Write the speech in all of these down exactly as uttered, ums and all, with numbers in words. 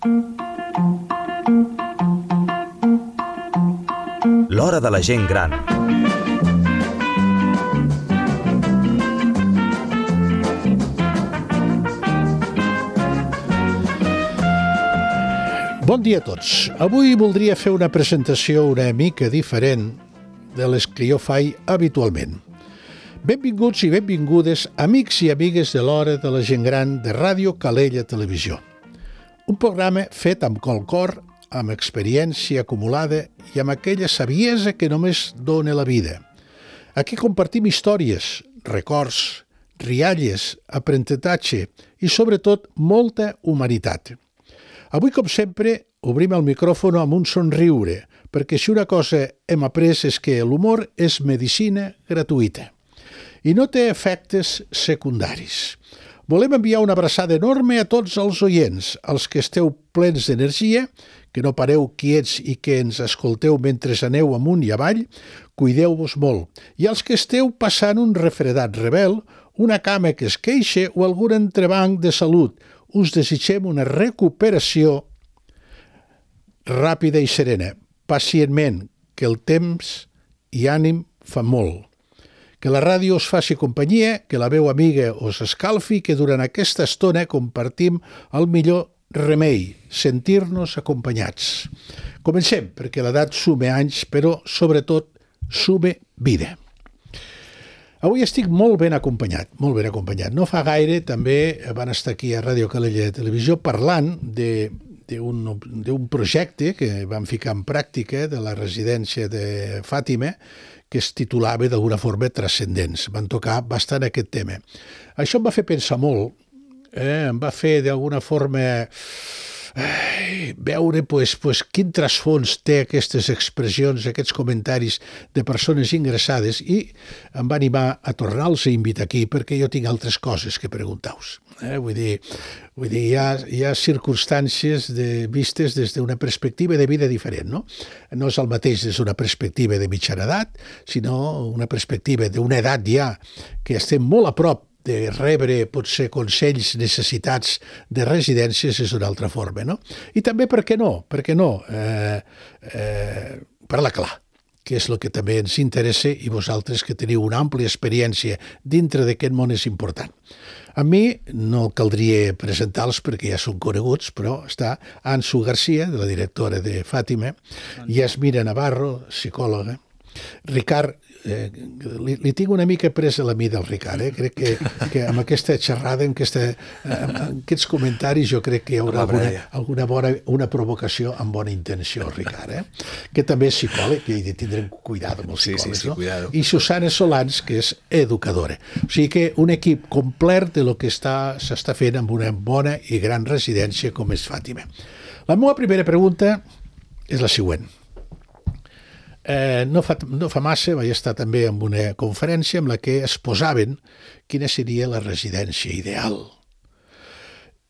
L'hora de la gent gran. Bon dia a tots. Avui voldria fer una presentació una mica diferent de les que jo faig habitualment. Benvinguts i benvingudes, amics i amigues de l'hora de la gent gran de Ràdio Calella Televisió. Un programa fet amb col cor, amb experiència acumulada i amb aquella saviesa que només dona la vida. Aquí compartim històries, records, rialles, aprenentatge i, sobretot, molta humanitat. Avui, com sempre, obrim el micròfon amb un somriure, perquè si una cosa hem après és que l'humor és medicina gratuïta i no té efectes secundaris. Volem enviar una abraçada enorme a tots els oients, als que esteu plens d'energia, que no pareu quiets i que ens escolteu mentre aneu amunt i avall, cuideu-vos molt. I als que esteu passant un refredat rebel, una cama que es queixa o algun entrebanc de salut, us desitgem una recuperació ràpida i serena. Pacientment, que el temps i ànim fa molt. Que la ràdio us faci companyia, que la veu amiga us escalfi, que durant aquesta estona compartim el millor remei, sentir-nos acompanyats. Comencem, perquè l'edat sume anys, però sobretot sume vida. Avui estic molt ben acompanyat, molt ben acompanyat. No fa gaire també van estar aquí a Ràdio Calella Televisió parlant de, d'un, d'un projecte que vam ficar en pràctica de la residència de Fàtima, que es titulava d'alguna forma Transcendents. Van tocar bastant aquest tema. Això em va fer pensar molt, eh? Em va fer d'alguna forma eh, veure pues, pues, quin trasfons té aquestes expressions, aquests comentaris de persones ingressades, i em va animar a tornar-los a invitar aquí perquè jo tinc altres coses que preguntar-vos. Eh? Vull dir, vull dir hi, ha, hi ha circumstàncies de, vistes des d'una perspectiva de vida diferent, no? No és el mateix des d'una perspectiva de mitjana edat, sinó una perspectiva d'una edat ja que estem molt a prop de rebre potser consells, necessitats de residències és d'una altra forma, no? I també, per què no? Per què no? Eh, eh, parla clar, que és el que també ens interessa, i vosaltres que teniu una àmplia experiència dintre d'aquest món és important. A mi no caldria presentar-los perquè ja són coneguts, però està Ansu Garcia, de la directora de Fàtima, Yasmina Navarro, psicòloga, Ricard, eh, li, li tinc una mica presa la mida al Ricard, eh? Crec que, que amb aquesta xerrada, amb, aquesta, amb aquests comentaris, jo crec que hi haurà alguna, alguna bona, una provocació amb bona intenció, Ricard, eh? Que també és psicòleg, i tindrem cuidado amb els psicòlegs, sí, sí, sí, no? Cuidado. I Susana Solans, que és educadora. O sigui que un equip complet de lo que està, s'està fent amb una bona i gran residència com és Fàtima. La meva primera pregunta és la següent. Eh, no, fa, no fa massa vaig estar també en una conferència en la que es posaven quina seria la residència ideal.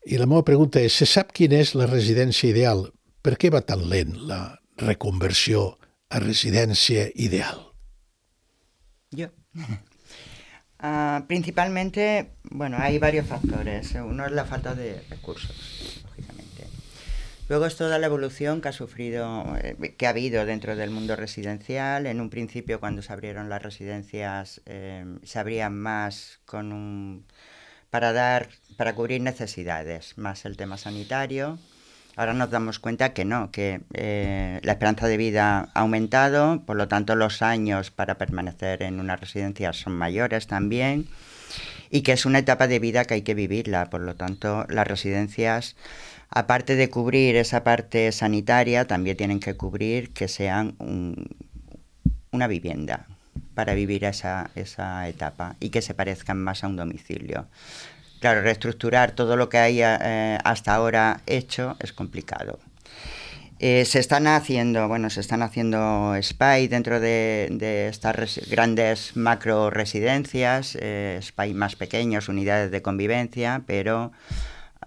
I la meva pregunta és, se sap quina és la residència ideal? Per què va tan lent la reconversió a residència ideal? Yo. Uh, principalmente, bueno, hay varios factores. Uno es la falta de recursos, lógicamente. Luego es toda la evolución que ha sufrido, eh, que ha habido dentro del mundo residencial. En un principio, cuando se abrieron las residencias, eh, se abrían más con un, para dar, para cubrir necesidades, más el tema sanitario. Ahora nos damos cuenta que no, que eh, la esperanza de vida ha aumentado, por lo tanto los años para permanecer en una residencia son mayores también, y que es una etapa de vida que hay que vivirla. Por lo tanto, las residencias, aparte de cubrir esa parte sanitaria, también tienen que cubrir que sean un, una vivienda para vivir esa, esa etapa y que se parezcan más a un domicilio. Claro, reestructurar todo lo que hay eh, hasta ahora hecho es complicado. Eh, se están haciendo, bueno, se están haciendo S P A I dentro de, de estas res- grandes macro residencias, eh, S P A I más pequeños, unidades de convivencia, pero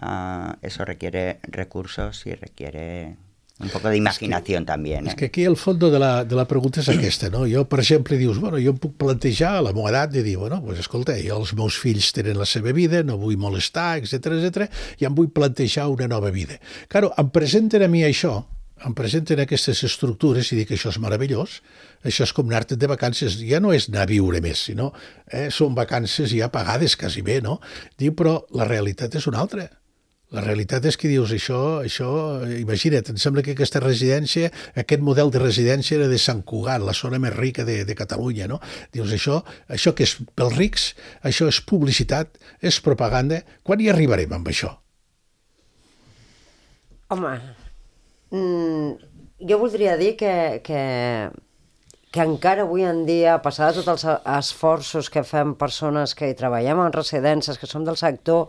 uh, eso requiere recursos y requiere Un poco de imaginación és que, también. Eh? És que aquí el fons de la, de la pregunta és aquesta, no? Jo, per exemple, dius, bueno, jo em puc plantejar a la meva edat de dir, bueno, pues, escolta, jo els meus fills tenen la seva vida, no vull molestar, etcètera, etcètera, i em vull plantejar una nova vida. Claro, em presenten a mi això, em presenten aquestes estructures i dic que això és meravellós, això és com anar-te'n de vacances, ja no és anar a viure més, sinó eh, són vacances ja pagades quasi bé, no? Diu, però la realitat és una altra. La realitat és que dius, això, això, imagina't, em sembla que aquesta residència, aquest model de residència era de Sant Cugat, la zona més rica de, de Catalunya, no? Dius, això, això que és pels rics, això és publicitat, és propaganda, quan hi arribarem amb això? Home, mm, jo voldria dir que, que, que encara avui en dia, a pesar de tots els esforços que fem persones que hi treballem en residències, que som del sector,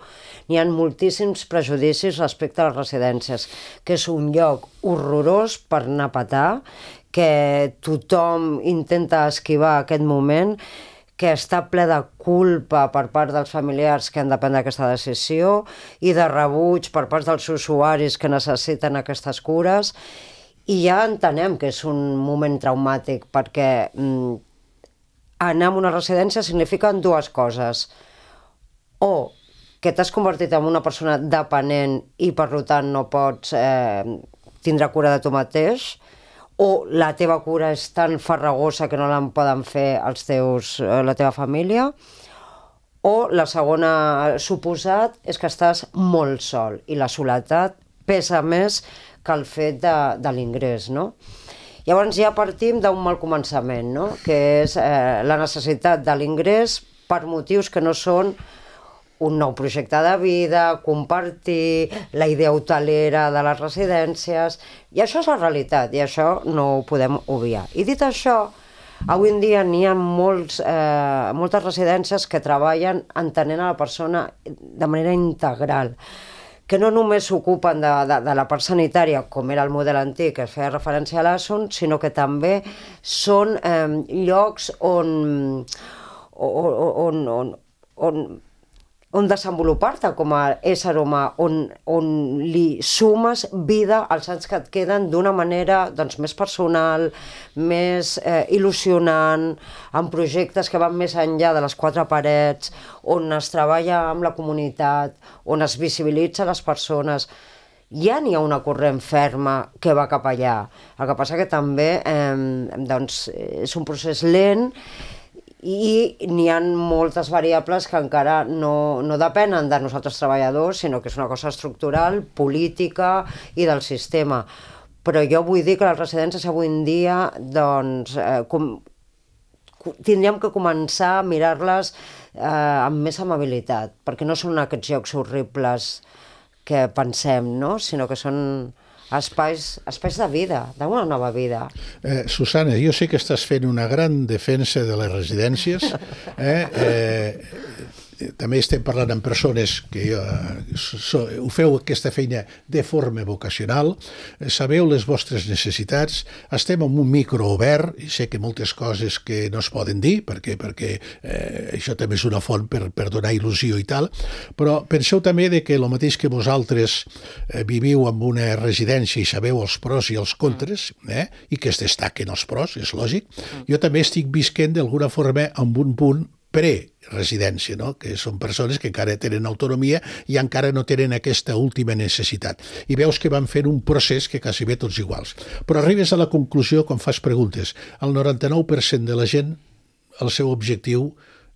n'hi ha moltíssims prejudicis respecte a les residències, que és un lloc horrorós per anar a petar, que tothom intenta esquivar aquest moment, que està ple de culpa per part dels familiars que han de prendre aquesta decisió i de rebuig per part dels usuaris que necessiten aquestes cures. I ja entenem que és un moment traumàtic perquè mm, anar a una residència significa dues coses. O que t'has convertit en una persona dependent i per tant no pots eh, tindre cura de tu mateix, o la teva cura és tan farragosa que no la poden fer els teus, eh, la teva família, o la segona suposat és que estàs molt sol i la soledat pesa més que el fet de, de l'ingrés, no? Llavors ja partim d'un mal començament, no? Que és eh, la necessitat de l'ingrés per motius que no són un nou projecte de vida, compartir, la idea hotelera de les residències, i això és la realitat, i això no ho podem obviar. I dit això, avui en dia n'hi ha molts, eh, moltes residències que treballen entenent a la persona de manera integral, que no només s'ocupen de, de, de la part sanitària, com era el model antic, que es feia referència a l'A S O N, sinó que també són eh, llocs on, on, on, on, on desenvolupar-te com a ésser humà, on, on li sumes vida als anys que et queden d'una manera doncs, més personal, més eh, il·lusionant, amb projectes que van més enllà de les quatre parets, on es treballa amb la comunitat, on es visibilitza les persones. Ja n'hi ha una corrent ferma que va cap allà. El que passa que també eh, doncs, és un procés lent i n'hi ha moltes variables que encara no, no depenen de nosaltres treballadors, sinó que és una cosa estructural, política i del sistema. Però jo vull dir que les residències avui en dia doncs, eh, com, tindríem que començar a mirar-les eh, amb més amabilitat, perquè no són aquests llocs horribles que pensem, no? Sinó que són espais, espais de vida, d'una nova vida. Eh, Susana, jo sé que estàs fent una gran defensa de les residències. Eh? Eh, també estem parlant amb persones que eh, so, ho feu aquesta feina de forma vocacional, sabeu les vostres necessitats, estem en un micro obert, i sé que moltes coses que no es poden dir, perquè, perquè eh, això també és una font per, per donar il·lusió i tal, però penseu també de que el mateix que vosaltres eh, viviu en una residència i sabeu els pros i els contres, eh, i que es destaquen els pros, és lògic, jo també estic visquent d'alguna forma amb un punt pre-residència, no? Que són persones que encara tenen autonomia i encara no tenen aquesta última necessitat. I veus que van fer un procés que quasi bé tots iguals. Però arribes a la conclusió quan fas preguntes. El noranta-nou per cent de la gent, el seu objectiu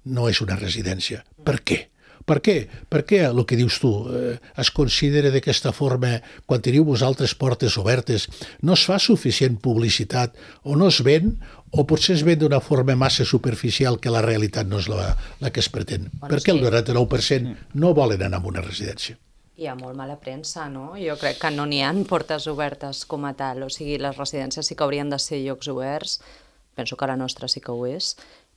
no és una residència. Per què? Per què? Per què el que dius tu eh, es considera d'aquesta forma, quan teniu vosaltres portes obertes, no es fa suficient publicitat o no es ven, o potser es ven d'una forma massa superficial que la realitat no és la, la que es pretén? Bueno, per què sí. El noranta-nou per cent no volen anar a una residència? Hi ha molt mala premsa, no? Jo crec que no n'hi ha portes obertes com a tal, o sigui, les residències sí que haurien de ser llocs oberts, penso que la nostra sí que ho és,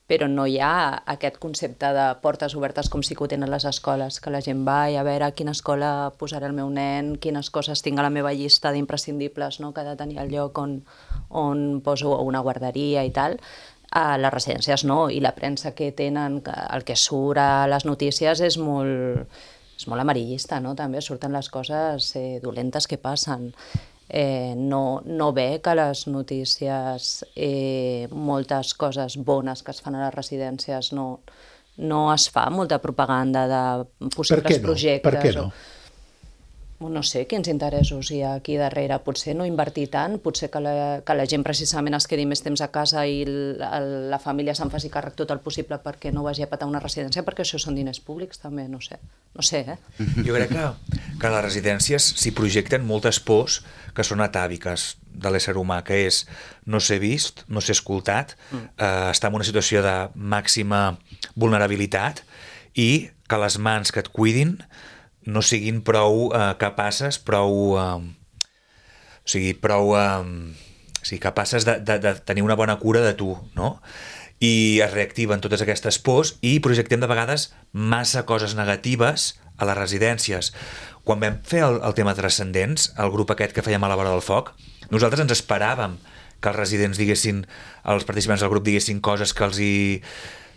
però no hi ha aquest concepte de portes obertes com sí que ho tenen les escoles, que la gent va i a veure a quina escola posaré el meu nen, quines coses tinc a la meva llista d'imprescindibles, no? Que ha de tenir el lloc on, on poso una guarderia i tal. A les residències no, i la premsa que tenen, el que surt a les notícies és molt, és molt amarillista, no? També surten les coses eh, dolentes que passen. eh, no, no ve que les notícies, eh, moltes coses bones que es fan a les residències, no, no es fa molta propaganda de possibles per què no? projectes. Per què no? O, no sé quins interessos hi ha aquí darrere, potser no invertir tant, potser que la, que la gent precisament es quedi més temps a casa i la, la família se'n faci càrrec tot el possible perquè no vagi a patar una residència, perquè això són diners públics també, no sé, no sé, eh? Jo crec que, que a les residències s'hi projecten moltes pors que són atàviques de l'ésser humà, que és no ser vist, no ser escoltat, mm. eh, estar en una situació de màxima vulnerabilitat i que les mans que et cuidin no siguin prou eh, capaces, prou, eh, o sigui, prou eh, o sigui, capaces de, de, de tenir una bona cura de tu, no? I es reactiven totes aquestes pors i projectem de vegades massa coses negatives a les residències. Quan vam fer el, el tema Transcendents, el grup aquest que fèiem a la vora del foc, nosaltres ens esperàvem que els residents diguessin, els participants del grup diguessin coses que els hi,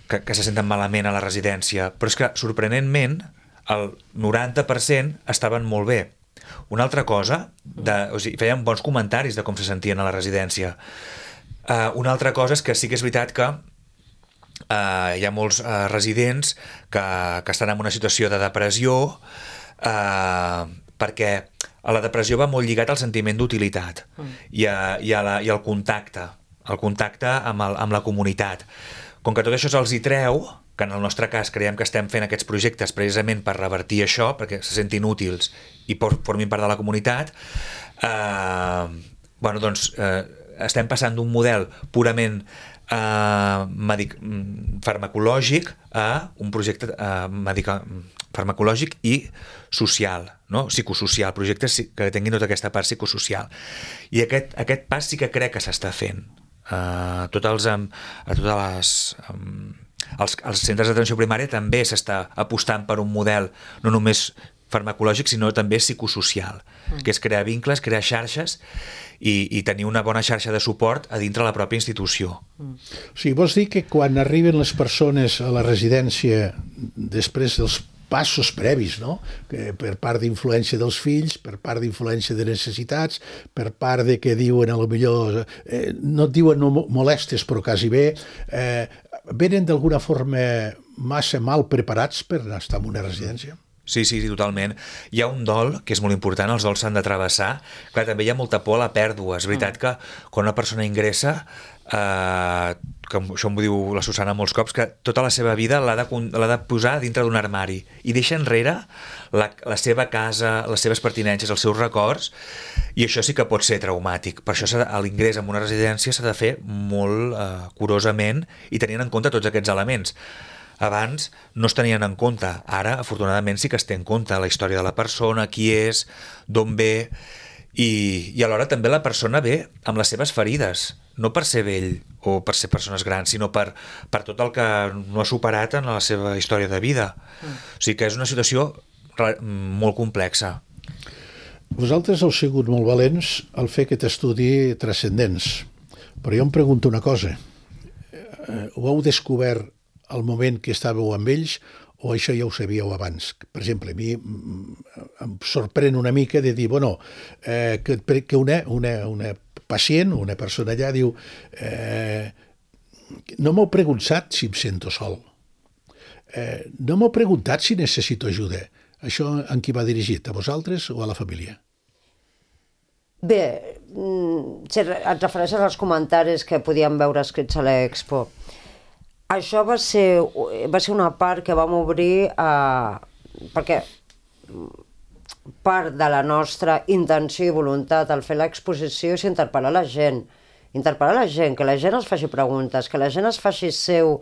que, que se senten malament a la residència, però és que sorprenentment el noranta per cent estaven molt bé. Una altra cosa, de, o sigui, feien bons comentaris de com se sentien a la residència. Uh, una altra cosa és que sí que és veritat que uh, hi ha molts uh, residents que, que estan en una situació de depressió uh, perquè a la depressió va molt lligat al sentiment d'utilitat mm. i, a, i, a la, i al contacte, el contacte amb, el, amb la comunitat. Com que tot això se'ls hi treu, que en el nostre cas creiem que estem fent aquests projectes precisament per revertir això, perquè se sentin útils i formin part de la comunitat, eh, bueno, doncs eh, estem passant d'un model purament eh, medic farmacològic a un projecte eh, medica farmacològic i social, no? Psicosocial, projectes que tinguin tota aquesta part psicosocial. I aquest, aquest pas sí que crec que s'està fent. Uh, tots els, um, a totes les... Um, els, els centres d'atenció primària també s'està apostant per un model no només farmacològic, sinó també psicosocial, mm. que és crear vincles, crear xarxes i, i tenir una bona xarxa de suport a dintre la pròpia institució. Mm. O sigui, vols dir que quan arriben les persones a la residència després dels passos previs, no? Que per part d'influència dels fills, per part d'influència de necessitats, per part de que diuen, a lo millor, eh, no et diuen no molestes, però quasi bé, eh, venen d'alguna forma massa mal preparats per estar en una residència? Sí, sí, totalment. Hi ha un dol que és molt important, els dols s'han de travessar. Clar, també hi ha molta por a la pèrdua. És veritat que quan una persona ingressa, eh, que això m'ho diu la Susana molts cops, que tota la seva vida l'ha de, l'ha de posar dintre d'un armari i deixa enrere la, la seva casa, les seves pertinences, els seus records, i això sí que pot ser traumàtic. Per això l'ingrés en una residència s'ha de fer molt eh, curosament i tenint en compte tots aquests elements. Abans no es tenien en compte, ara afortunadament sí que es té en compte la història de la persona, qui és, d'on ve, i, i alhora també la persona ve amb les seves ferides, no per ser vell o per ser persones grans, sinó per, per tot el que no ha superat en la seva història de vida. Mm. O sigui que és una situació molt complexa. Vosaltres heu sigut molt valents al fer aquest estudi Transcendents, però jo em pregunto una cosa, ho heu descobert al moment que estàveu amb ells o això ja ho sabíeu abans? Per exemple, a mi em sorprèn una mica de dir, bueno, eh, que, que una, una, una pacient, una persona allà diu eh, no m'heu preguntat si em sento sol, eh, no m'heu preguntat si necessito ajuda. Això en qui va dirigit? A vosaltres o a la família? Bé, et refereixes als comentaris que podíem veure escrits a l'Expo. Això va ser, va ser una part que vam obrir a... perquè part de la nostra intenció i voluntat al fer l'exposició és interpel·lar la gent, interpel·lar la gent, que la gent es faci preguntes, que la gent es faci seu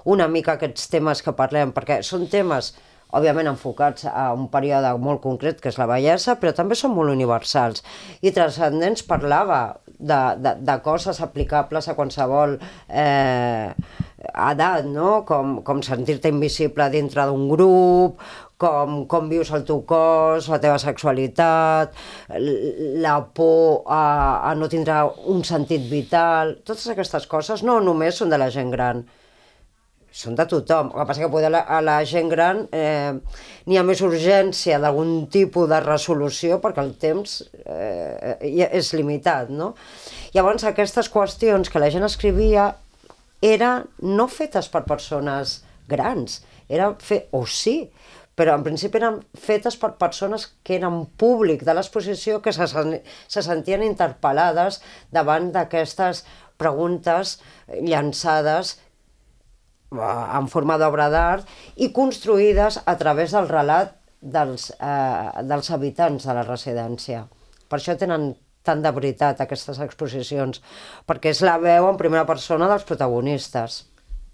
una mica aquests temes que parlem, perquè són temes, òbviament, enfocats a un període molt concret, que és la vellesa, però també són molt universals. I Transcendents parlava de, de, de coses aplicables a qualsevol eh, edat, no? Com, com sentir-te invisible dintre d'un grup, com, com vius el teu cos, la teva sexualitat, la por a, a no tindre un sentit vital, totes aquestes coses no només són de la gent gran. són de tothom. El que passa que poder a la, a la gent gran eh, n'hi ha més urgència d'algun tipus de resolució perquè el temps eh, és limitat, no? Llavors, aquestes qüestions que la gent escrivia eren no fetes per persones grans, eren fe... o sí, però en principi eren fetes per persones que eren públic de l'exposició, que se, se sentien interpel·lades davant d'aquestes preguntes llançades en forma d'obra d'art i construïdes a través del relat dels, eh, dels habitants de la residència. Per això tenen tant de veritat aquestes exposicions, perquè és la veu en primera persona dels protagonistes.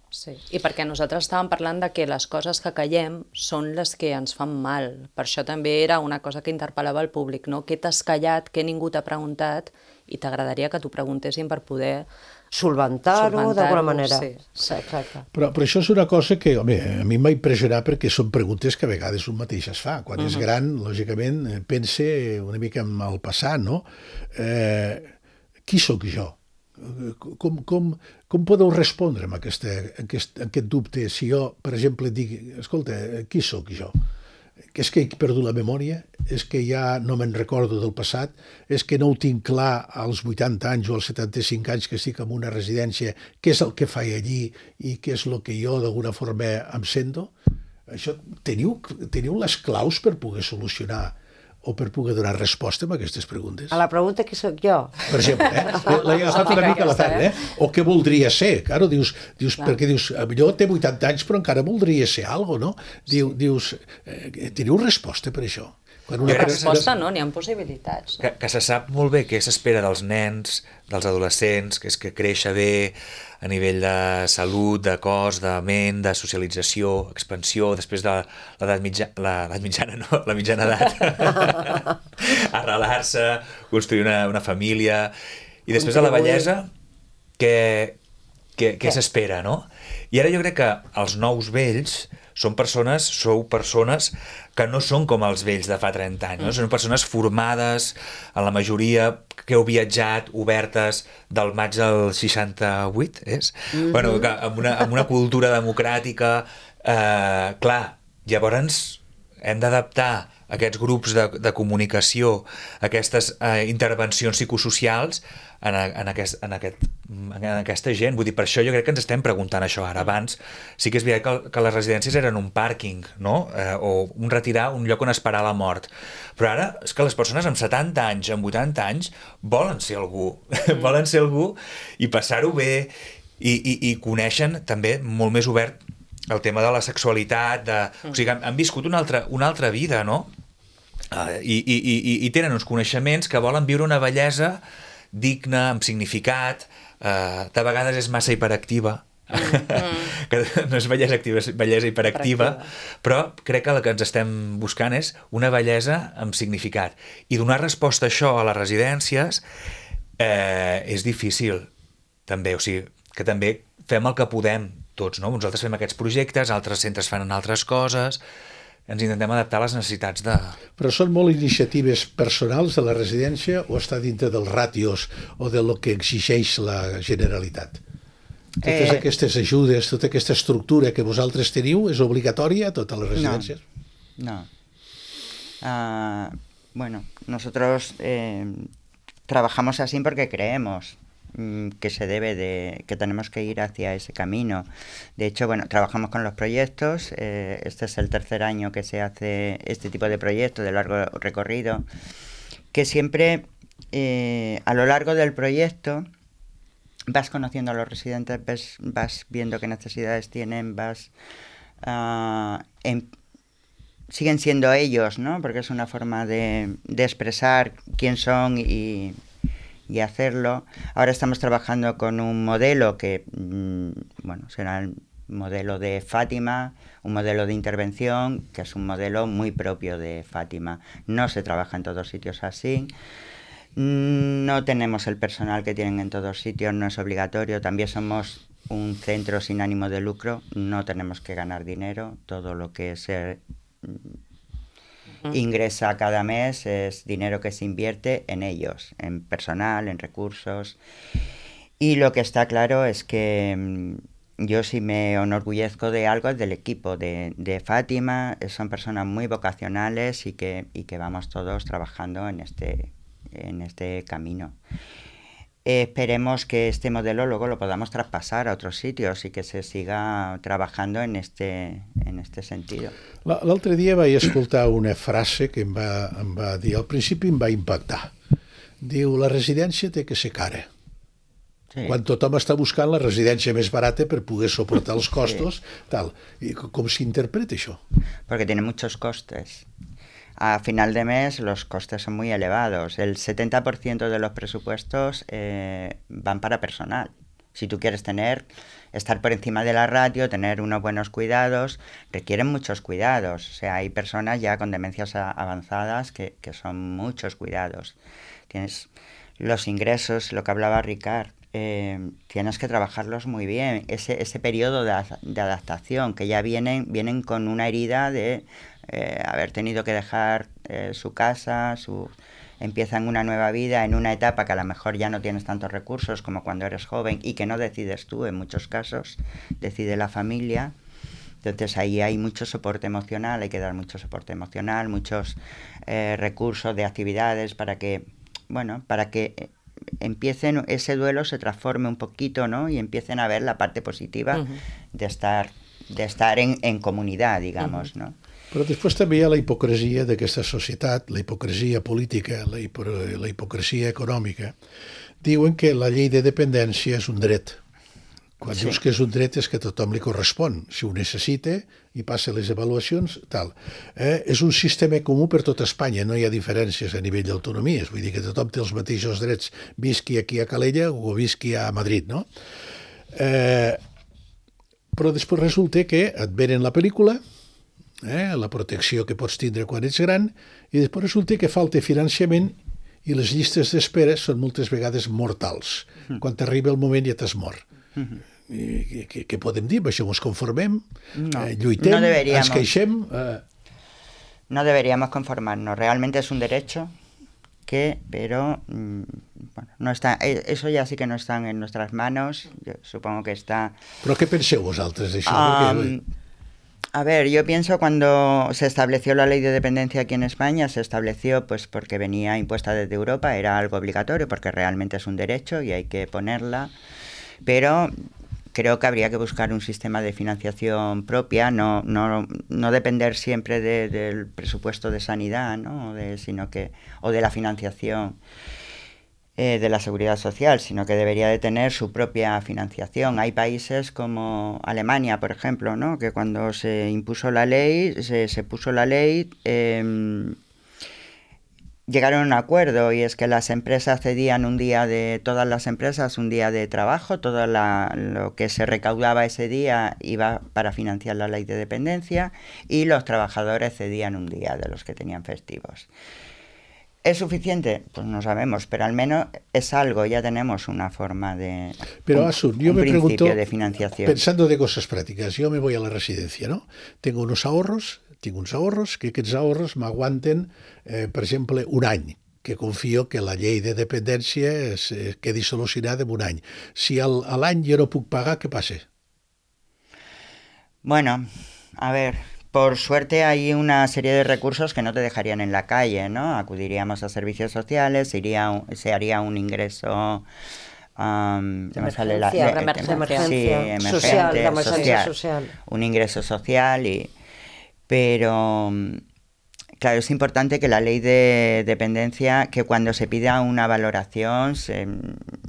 Sí, i perquè nosaltres estàvem parlant de que les coses que callem són les que ens fan mal. Per això també era una cosa que interpel·lava el públic, no? Què t'has callat, què ningú t'ha preguntat, i t'agradaria que t'ho preguntessin per poder solventar-ho d'alguna manera. Sí. Sí, exacte. Però, però això és una cosa que, home, a mi m'ha impressionat perquè són preguntes que a vegades un mateix es fa. Quan uh-huh. és gran, lògicament, pense una mica en el passat, no? Eh, qui sóc jo? Com, com, com podeu respondre amb aquesta, aquest, aquest dubte si jo, per exemple, dic, escolta, qui sóc jo? És que he perdut la memòria? És que ja no me'n recordo del passat? És que no ho tinc clar als vuitanta anys o als setanta-cinc anys que estic en una residència, què és el que faig allí i què és el que jo d'alguna forma em sento? Això, teniu, teniu les claus per poder solucionar o per poder donar resposta a aquestes preguntes? A la pregunta qui sóc jo? Per exemple, eh? L'he agafat una mica a la tarda, eh? O què voldria ser? Claro, dius, dius perquè dius, millor té vuitanta anys però encara voldria ser alguna cosa, no? Diu, dius, eh, teniu resposta per això? Quan una resposta no, n'hi ha possibilitats. Que, que se sap molt bé què s'espera dels nens, dels adolescents, que és que créixer bé a nivell de salut, de cos, de ment, de socialització, expansió, després de l'edat mitjana, l'edat mitjana no, la mitjana edat, arrelar-se, construir una, una família, i després de la vellesa, què, què, què s'espera, no? I ara jo crec que els nous vells són persones, sou persones que no són com els vells de fa trenta anys, no? Són persones formades, en la majoria que heu viatjat, obertes del maig del seixanta-vuit, és? Mm-hmm. Bueno, que amb, una, amb una cultura democràtica, eh, clar, llavors hem d'adaptar aquests grups de, de comunicació, aquestes eh, intervencions psicosocials en, en, aquest, en, aquest, en aquesta gent. Vull dir, per això jo crec que ens estem preguntant això ara. Abans sí que és veritat que, que les residències eren un pàrquing, no? Eh, o un retirar, un lloc on esperar la mort. Però ara és que les persones amb setanta anys, amb vuitanta anys, volen ser algú. volen ser algú i passar-ho bé i, i, i coneixen també molt més obert el tema de la sexualitat, de... o sigui, han, han viscut una altra, una altra vida, no? Uh, i, i, i, i tenen uns coneixements que volen viure una bellesa digna, amb significat, uh, de vegades és massa hiperactiva, mm. que no és bellesa activa, és bellesa hiperactiva, però crec que el que ens estem buscant és una bellesa amb significat. I donar resposta a això a les residències eh, és difícil, també, o sigui, que també fem el que podem tots, no? Nosaltres fem aquests projectes, altres centres fan altres coses, ens intentem adaptar a les necessitats de... Però són molt iniciatives personals de la residència o està dintre dels ràtios o de lo que exigeix la Generalitat? Totes eh... aquestes ajudes, tota aquesta estructura que vosaltres teniu, és obligatòria a totes les residències? No. no. Uh, bueno, nosotros eh, trabajamos así porque creemos que se debe de, que tenemos que ir hacia ese camino. De hecho, bueno, trabajamos con los proyectos, eh, este es el tercer año que se hace este tipo de proyecto de largo recorrido, que siempre eh, a lo largo del proyecto vas conociendo a los residentes, ves, vas viendo qué necesidades tienen, vas uh, en, siguen siendo ellos, ¿no? Porque es una forma de, de expresar quién son y y hacerlo. Ahora estamos trabajando con un modelo que, mmm, bueno, será el modelo de Fátima, un modelo de intervención que es un modelo muy propio de Fátima. No se trabaja en todos sitios así. No tenemos el personal que tienen en todos sitios, no es obligatorio. También somos un centro sin ánimo de lucro, no tenemos que ganar dinero. Todo lo que se ingresa cada mes es dinero que se invierte en ellos, en personal, en recursos. Y lo que está claro es que yo sí me enorgullezco de algo es del equipo de, de Fátima. Son personas muy vocacionales y que, y que vamos todos trabajando en este, en este camino. Eh, esperemos que este modelo luego lo podamos traspasar a otros sitios y que se siga trabajando en este, en este sentido. L'altre dia vaig escoltar una frase que em va, em va dir, al principi em va impactar. Diu, la residència té que ser cara. Sí. Quan tothom està buscant la residència més barata per poder soportar els costos, sí. tal. I com s'interpreta això? Porque tiene muchos costes. A final de mes los costes son muy elevados. El setenta por ciento de los presupuestos eh, van para personal. Si tú quieres tener, estar por encima de la ratio, tener unos buenos cuidados, requieren muchos cuidados. O sea, hay personas ya con demencias a, avanzadas que, que son muchos cuidados. Tienes los ingresos, lo que hablaba Ricard, eh, tienes que trabajarlos muy bien. Ese, ese periodo de, de adaptación, que ya vienen, vienen con una herida de eh, haber tenido que dejar eh, su casa, su... empiezan una nueva vida en una etapa que a lo mejor ya no tienes tantos recursos como cuando eres joven y que no decides tú en muchos casos, decide la familia. Entonces ahí hay mucho soporte emocional, hay que dar mucho soporte emocional, muchos eh, recursos de actividades para que, bueno, para que empiecen, ese duelo se transforme un poquito, ¿no? Y empiecen a ver la parte positiva uh-huh. de estar, de estar en, en comunidad, digamos, uh-huh. ¿no? Però després també hi ha la hipocresia d'aquesta societat, la hipocresia política, la, hipo, la hipocresia econòmica. Diuen que la llei de dependència és un dret. Quan sí. dius que és un dret és que a tothom li correspon. Si ho necessita i passa les avaluacions, tal. Eh? És un sistema comú per tot Espanya, no hi ha diferències a nivell d'autonomies. Vull dir que tothom té els mateixos drets, visqui aquí a Calella o visqui a Madrid, no? Eh, però després resulta que et venen la pel·lícula, Eh, la protecció que pots tindre quan ets gran, i després resulta que falta finançament i les llistes d'espera són moltes vegades mortals. Mm. Quan t'arriba el moment ja t'has mort. Mm-hmm. I, què, què podem dir? Això ens conformem? No, eh, lluitem? No deberíamos. Ens queixem? Eh... No deberíamos conformarnos. Realmente es un derecho que, pero mmm, bueno, no está, eso ya sí que no están en nuestras manos. Yo supongo que está... Però què penseu vosaltres d'això? Um, Perquè... A ver, yo pienso cuando se estableció la ley de dependencia aquí en España, se estableció pues porque venía impuesta desde Europa, era algo obligatorio porque realmente es un derecho y hay que ponerla, pero creo que habría que buscar un sistema de financiación propia, no, no, no depender siempre de, del presupuesto de sanidad, ¿no? de, sino que, o de la financiación eh, de la seguridad social, sino que debería de tener su propia financiación. Hay países como Alemania, por ejemplo, ¿no? que cuando se impuso la ley, se, se puso la ley, eh, llegaron a un acuerdo, y es que las empresas cedían un día de, todas las empresas, un día de trabajo, todo la, lo que se recaudaba ese día iba para financiar la ley de dependencia, y los trabajadores cedían un día de los que tenían festivos. ¿Es suficiente? Pues no sabemos, pero al menos es algo, ya tenemos una forma de... Pero un, Asun, yo un me pregunto, de financiación. Pensando de cosas prácticas, yo me voy a la residencia, ¿no? Tengo unos ahorros, tengo uns ahorros, que aquests ahorros m'aguanten, eh, per exemple, un any, que confio que la llei de dependència es, eh, quedi solucionada en un any. Si al, a l'any jo no puc pagar, què passa? Bueno, a ver... Por suerte hay una serie de recursos que no te dejarían en la calle, ¿no? Acudiríamos a servicios sociales, se, iría un, se haría un ingreso... Um, de emergencia, la, de, de, emergencia, emergencia, sí, emergente, social, la emergencia social, social. Un ingreso social, y, pero... Claro, es importante que la ley de dependencia, que cuando se pida una valoración, se,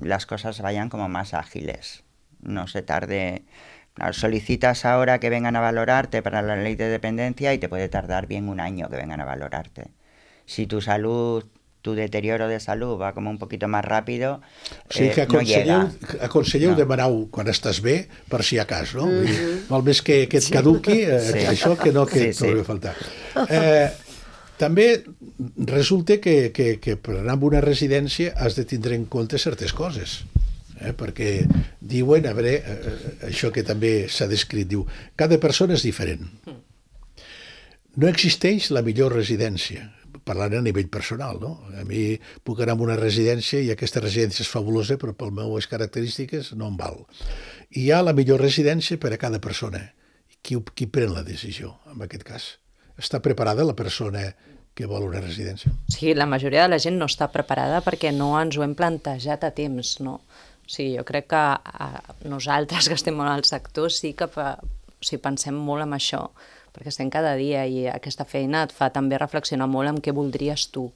las cosas vayan como más ágiles, no se tarde... Solicitas ahora que vengan a valorarte para la ley de dependencia y te puede tardar bien un año que vengan a valorarte. Si tu salud, tu deterioro de salud va como un poquito más rápido, o sigui que eh, no llega. Aconselleu no. demanar-ho quan estàs bé, per si a cas, no? Mm-hmm. Val més que, que et caduqui eh, sí. això que no que sí, et trobi sí. a faltar. Eh, també resulta que, que, que per anar a una residència has de tindre en compte certes coses. Eh, perquè diuen, a veure, eh, això que també s'ha descrit, diu, cada persona és diferent. No existeix la millor residència, parlant a nivell personal, no? A mi puc anar a una residència i aquesta residència és fabulosa, però pel meues característiques no em val. i hi ha la millor residència per a cada persona. Qui, qui pren la decisió, en aquest cas? Està preparada la persona que vol una residència? Sí, la majoria de la gent no està preparada perquè no ens ho hem plantejat a temps, no? O sigui, jo crec que a nosaltres que estem molt al sector sí que fa, o sigui, pensem molt en això, perquè estem cada dia i aquesta feina et fa també reflexionar molt en què voldries tu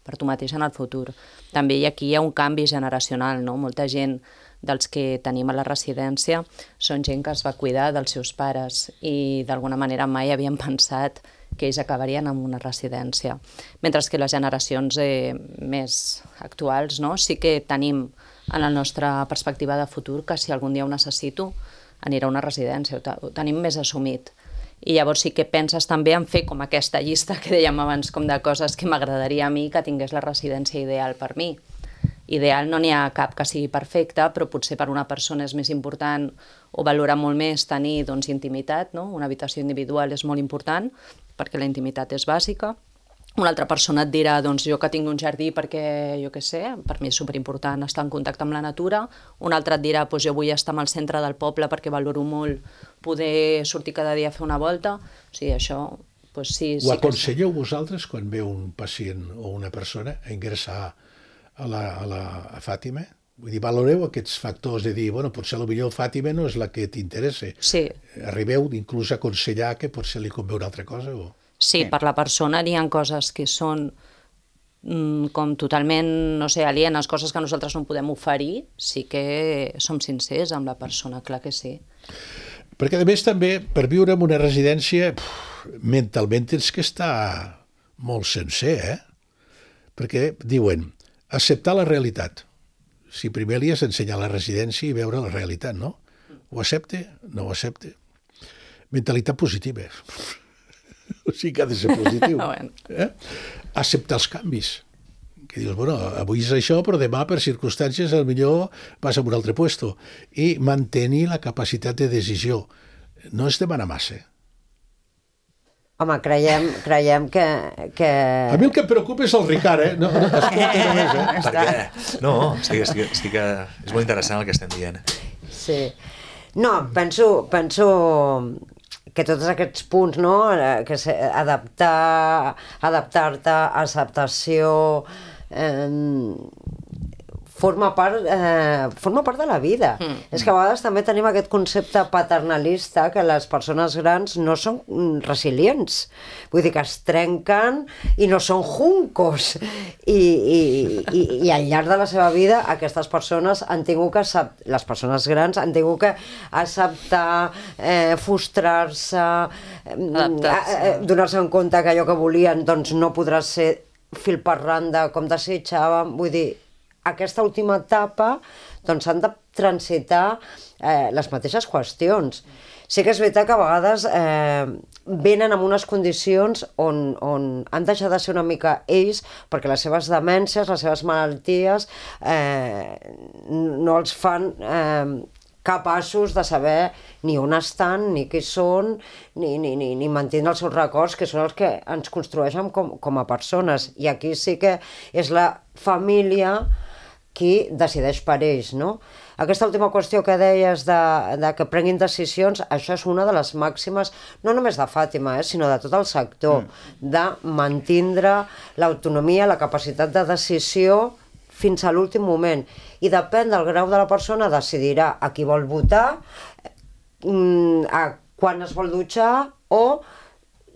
per tu mateix en el futur. També hi aquí hi ha un canvi generacional, no? Molta gent dels que tenim a la residència són gent que es va cuidar dels seus pares i d'alguna manera mai havien pensat que ells acabarien en una residència. Mentre que les generacions eh, més actuals, no? Sí que tenim en la nostra perspectiva de futur que si algun dia ho necessito anirà a una residència, ho, ho tenim més assumit. I llavors sí que penses també en fer com aquesta llista que dèiem abans, com de coses que m'agradaria a mi que tingués la residència ideal per mi. Ideal no n'hi ha cap que sigui perfecte, però potser per una persona és més important o valora molt més tenir doncs, intimitat, no? Una habitació individual és molt important perquè la intimitat és bàsica. Una altra persona et dirà, doncs jo que tinc un jardí perquè, jo què sé, per mi és superimportant estar en contacte amb la natura. Un altre et dirà, doncs jo vull estar al centre del poble perquè valoro molt poder sortir cada dia a fer una volta. O sigui, això... Doncs sí, Ho sí aconselleu que... vosaltres quan veu un pacient o una persona a ingressar a la, a la a Fàtima? Vull dir, valoreu aquests factors de dir, bueno, potser potser Fàtima no és la que t'interessa. Sí. Arribeu inclús a aconsellar que potser li convé una altra cosa? O... Sí, per la persona hi ha coses que són mm, com totalment, no sé, alienes, coses que nosaltres no podem oferir, sí que som sincers amb la persona, clar que sí. Perquè, a més, també, per viure en una residència, pff, mentalment tens que estar molt sencer, eh? Perquè diuen, acceptar la realitat. Si primer li has d'ensenyar la residència i veure la realitat, no? Ho accepte? No ho accepte. Mentalitat positiva. O sigui que ha de ser positiu. Bueno. Eh? Acceptar els canvis. Que dius, bueno, avui és això, però demà, per circumstàncies, potser vas a un altre puesto. I mantenir la capacitat de decisió. No es demana massa. Home, creiem, creiem que, que... A mi el que em preocupa és el Ricard, eh? No, no, escolta només, eh? Per què? No, estic, estic, estic, és molt interessant el que estem dient. Sí. No, penso, penso que tots aquests punts, no? Que se, adaptar, adaptar-te, acceptació... Eh, forma part, eh, forma part de la vida. Mm. És que a vegades també tenim aquest concepte paternalista que les persones grans no són resilients. Vull dir que es trenquen i no són juncos. I, i, i, i al llarg de la seva vida aquestes persones han tingut que acceptar, les persones grans han tingut que acceptar, eh, frustrar-se, eh, donar-se en compte que allò que volien doncs, no podrà ser fil per randa com desitjaven. Vull dir, aquesta última etapa doncs han de transitar eh, les mateixes qüestions. Sí que és veritat que a vegades eh, venen en unes condicions on, on han deixat de ser una mica ells perquè les seves demències, les seves malalties eh, no els fan eh, capaços de saber ni on estan, ni qui són, ni, ni, ni, ni mantenir els seus records, que són els que ens construeixen com, com a persones. I aquí sí que és la família qui decideix per ells, no? Aquesta última qüestió que deies de, de que prenguin decisions, això és una de les màximes, no només de Fàtima, eh, sinó de tot el sector, mm. de mantindre l'autonomia, la capacitat de decisió fins a l'últim moment. I depèn del grau de la persona, decidirà a qui vol votar, a quan es vol dutxar o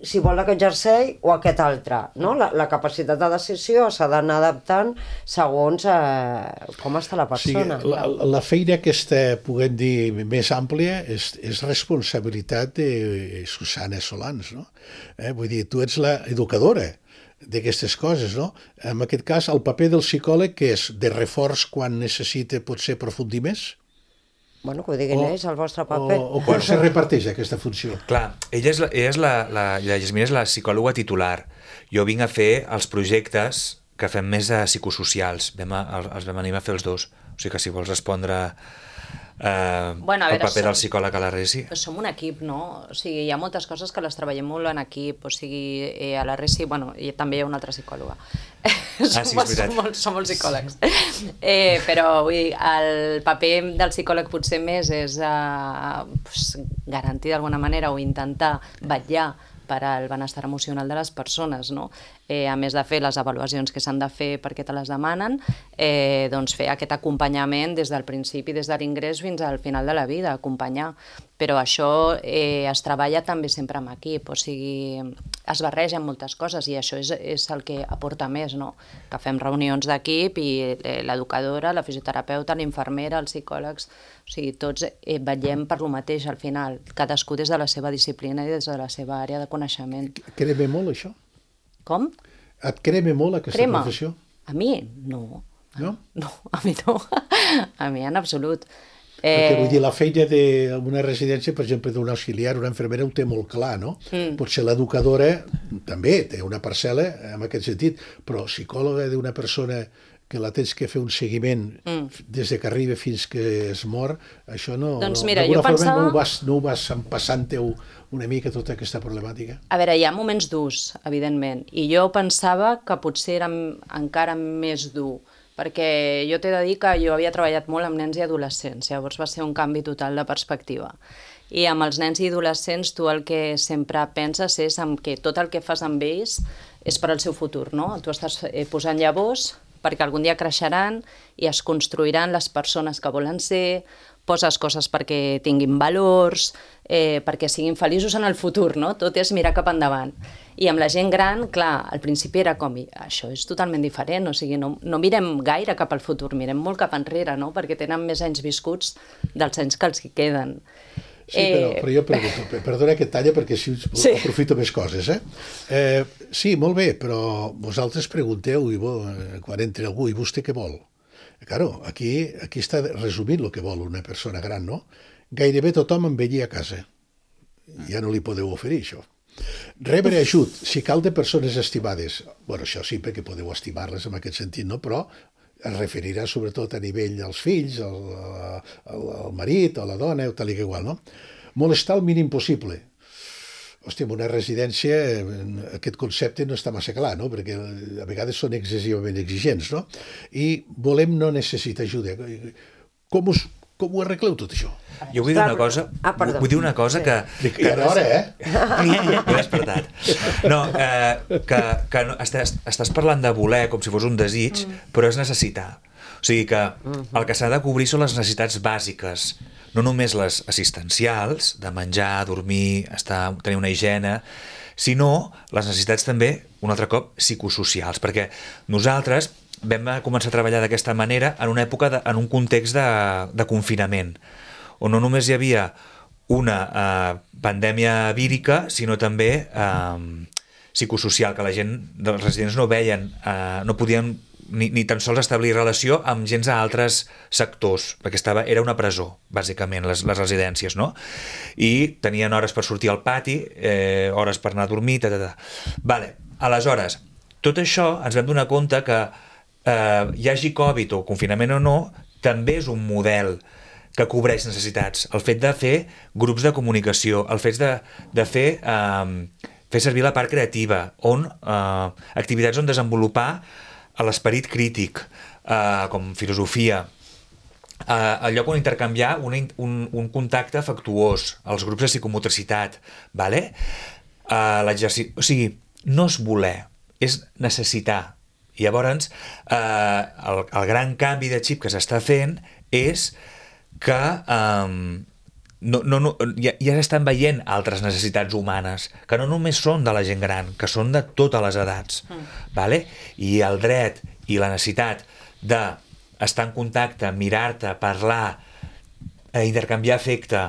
si vol aquest jersei o aquest altre, no? La, la capacitat de decisió s'ha d'anar adaptant segons eh, com està la persona. O sigui, la, la feina aquesta, puguem dir, més àmplia és, és responsabilitat de Susana Solans, no? Eh? Vull dir, tu ets l'educadora d'aquestes coses, no? En aquest cas, el paper del psicòleg, que és de reforç quan necessita potser aprofundir més? Bueno, que ho diguin ells, el vostre paper. O, o quan se reparteix aquesta funció? Clar, ella és la, ella és la, la, la Yasmina és la psicòloga titular. Jo vinc a fer els projectes que fem més de psicosocials. Vam a, els vam animar a fer els dos. O sigui que si vols respondre eh, Bueno, a el veure, paper som- del psicòleg a la Resi? Som un equip, no? O sigui, hi ha moltes coses que les treballem molt en equip, o sigui, eh, a la Resi, bueno, i també hi ha una altra psicòloga. Ah, sí, és som, veritat. som, molt, som molts psicòlegs. Eh, però vull dir, el paper del psicòleg potser més és eh, pues, garantir d'alguna manera o intentar vetllar per al benestar emocional de les persones, no? Eh, a més de fer les avaluacions que s'han de fer perquè te les demanen, eh, doncs fer aquest acompanyament des del principi, des de l'ingrés fins al final de la vida, acompanyar. Però això eh, es treballa també sempre amb equip, o sigui, es barregen moltes coses i això és, és el que aporta més, no? Que fem reunions d'equip i eh, l'educadora, la fisioterapeuta, l'infermera, els psicòlegs, o sigui, tots eh, vetllem per lo mateix al final, cadascú des de la seva disciplina i des de la seva àrea de coneixement. Crema molt, això? Com? Et crema molt, aquesta Crema? professió? A mi? No. No? No, a mi no. A mi en absolut. Perquè Eh, vull dir, la feina d'una residència, per exemple, d'un auxiliar, una infermera, ho té molt clar, no? Mm. Potser l'educadora també té una parcel·la en aquest sentit, però psicòloga d'una persona que la tens que fer un seguiment Mm. des de que arriba fins que es mor, això no... Doncs no, mira, d'alguna jo forma pensava- no ho vas, no ho vas empassant-teu una mica tota aquesta problemàtica? A veure, hi ha moments durs, evidentment, i jo pensava que potser era m- encara més dur, perquè jo t'he de dir que jo havia treballat molt amb nens i adolescents, llavors va ser un canvi total de perspectiva. I amb els nens i adolescents tu el que sempre penses és en que tot el que fas amb ells és per al seu futur, no? Tu estàs eh, posant llavors perquè algun dia creixeran i es construiran les persones que volen ser, poses coses perquè tinguin valors, eh, perquè siguin feliços en el futur, no? Tot és mirar cap endavant. I amb la gent gran, clar, al principi era com, això és totalment diferent, o sigui, no, no mirem gaire cap al futur, mirem molt cap enrere, no? Perquè tenen més anys viscuts dels anys que els hi queden. Sí, però, però jo pregunto, pe- perdona que et talla perquè si Sí. aprofito més coses, eh? eh? Sí, molt bé, però vosaltres pregunteu i bo, eh, quan entra algú i vostè què vol? Claro, aquí, aquí està resumint el que vol una persona gran, no? Gairebé tothom envellir a casa. Ja no li podeu oferir això. Rebre ajut, si cal, de persones estimades. Bueno, això sí, perquè podeu estimar-les en aquest sentit, no? Però es referirà sobretot a nivell dels fills, al, al, al marit, a la dona, o tal i que igual, no? Molestar el mínim possible. Hòstia, en una residència aquest concepte no està massa clar, no? Perquè a vegades són excessivament exigents, no? I volem no necessitar ajuda. Com, us, com ho arregleu tot això? Jo vull dir una cosa, Ah, perdó. vull dir una cosa que... Ja era hora, eh? M'he despertat. No, eh, que, que no, estàs, estàs parlant de voler com si fos un desig, però és necessitar. O sigui que el que s'ha de cobrir són les necessitats bàsiques, no només les assistencials, de menjar, dormir, estar, tenir una higiene, sinó les necessitats també, un altre cop, psicosocials, perquè nosaltres vam començar a treballar d'aquesta manera en una època, de, en un context de, de confinament, on no només hi havia una eh, pandèmia vírica, sinó també eh, psicosocial, que la gent dels residents no veien, eh, no podien ni, ni tan sols establir relació amb gens a altres sectors, perquè estava, era una presó, bàsicament, les, les residències, no? I tenien hores per sortir al pati, eh, hores per anar a dormir, ta, ta, ta. Vale. Aleshores, tot això ens vam donar compte que eh, hi hagi Covid o confinament o no, també és un model que cobreix necessitats. El fet de fer grups de comunicació, el fet de, de fer, eh, fer servir la part creativa, on eh, activitats on desenvolupar l'esperit crític, eh, com filosofia, eh, el lloc on intercanviar un, un, un contacte afectuós, els grups de psicomotricitat, vale? eh, l'exercici... O sigui, no és voler, és necessitar. I llavors, eh, el, el gran canvi de xip que s'està fent és que um, no, no, no, ja, ja s'estan veient altres necessitats humanes, que no només són de la gent gran, que són de totes les edats. Mm. Vale? I el dret i la necessitat d'estar en contacte, mirar-te, parlar, eh, intercanviar afecte,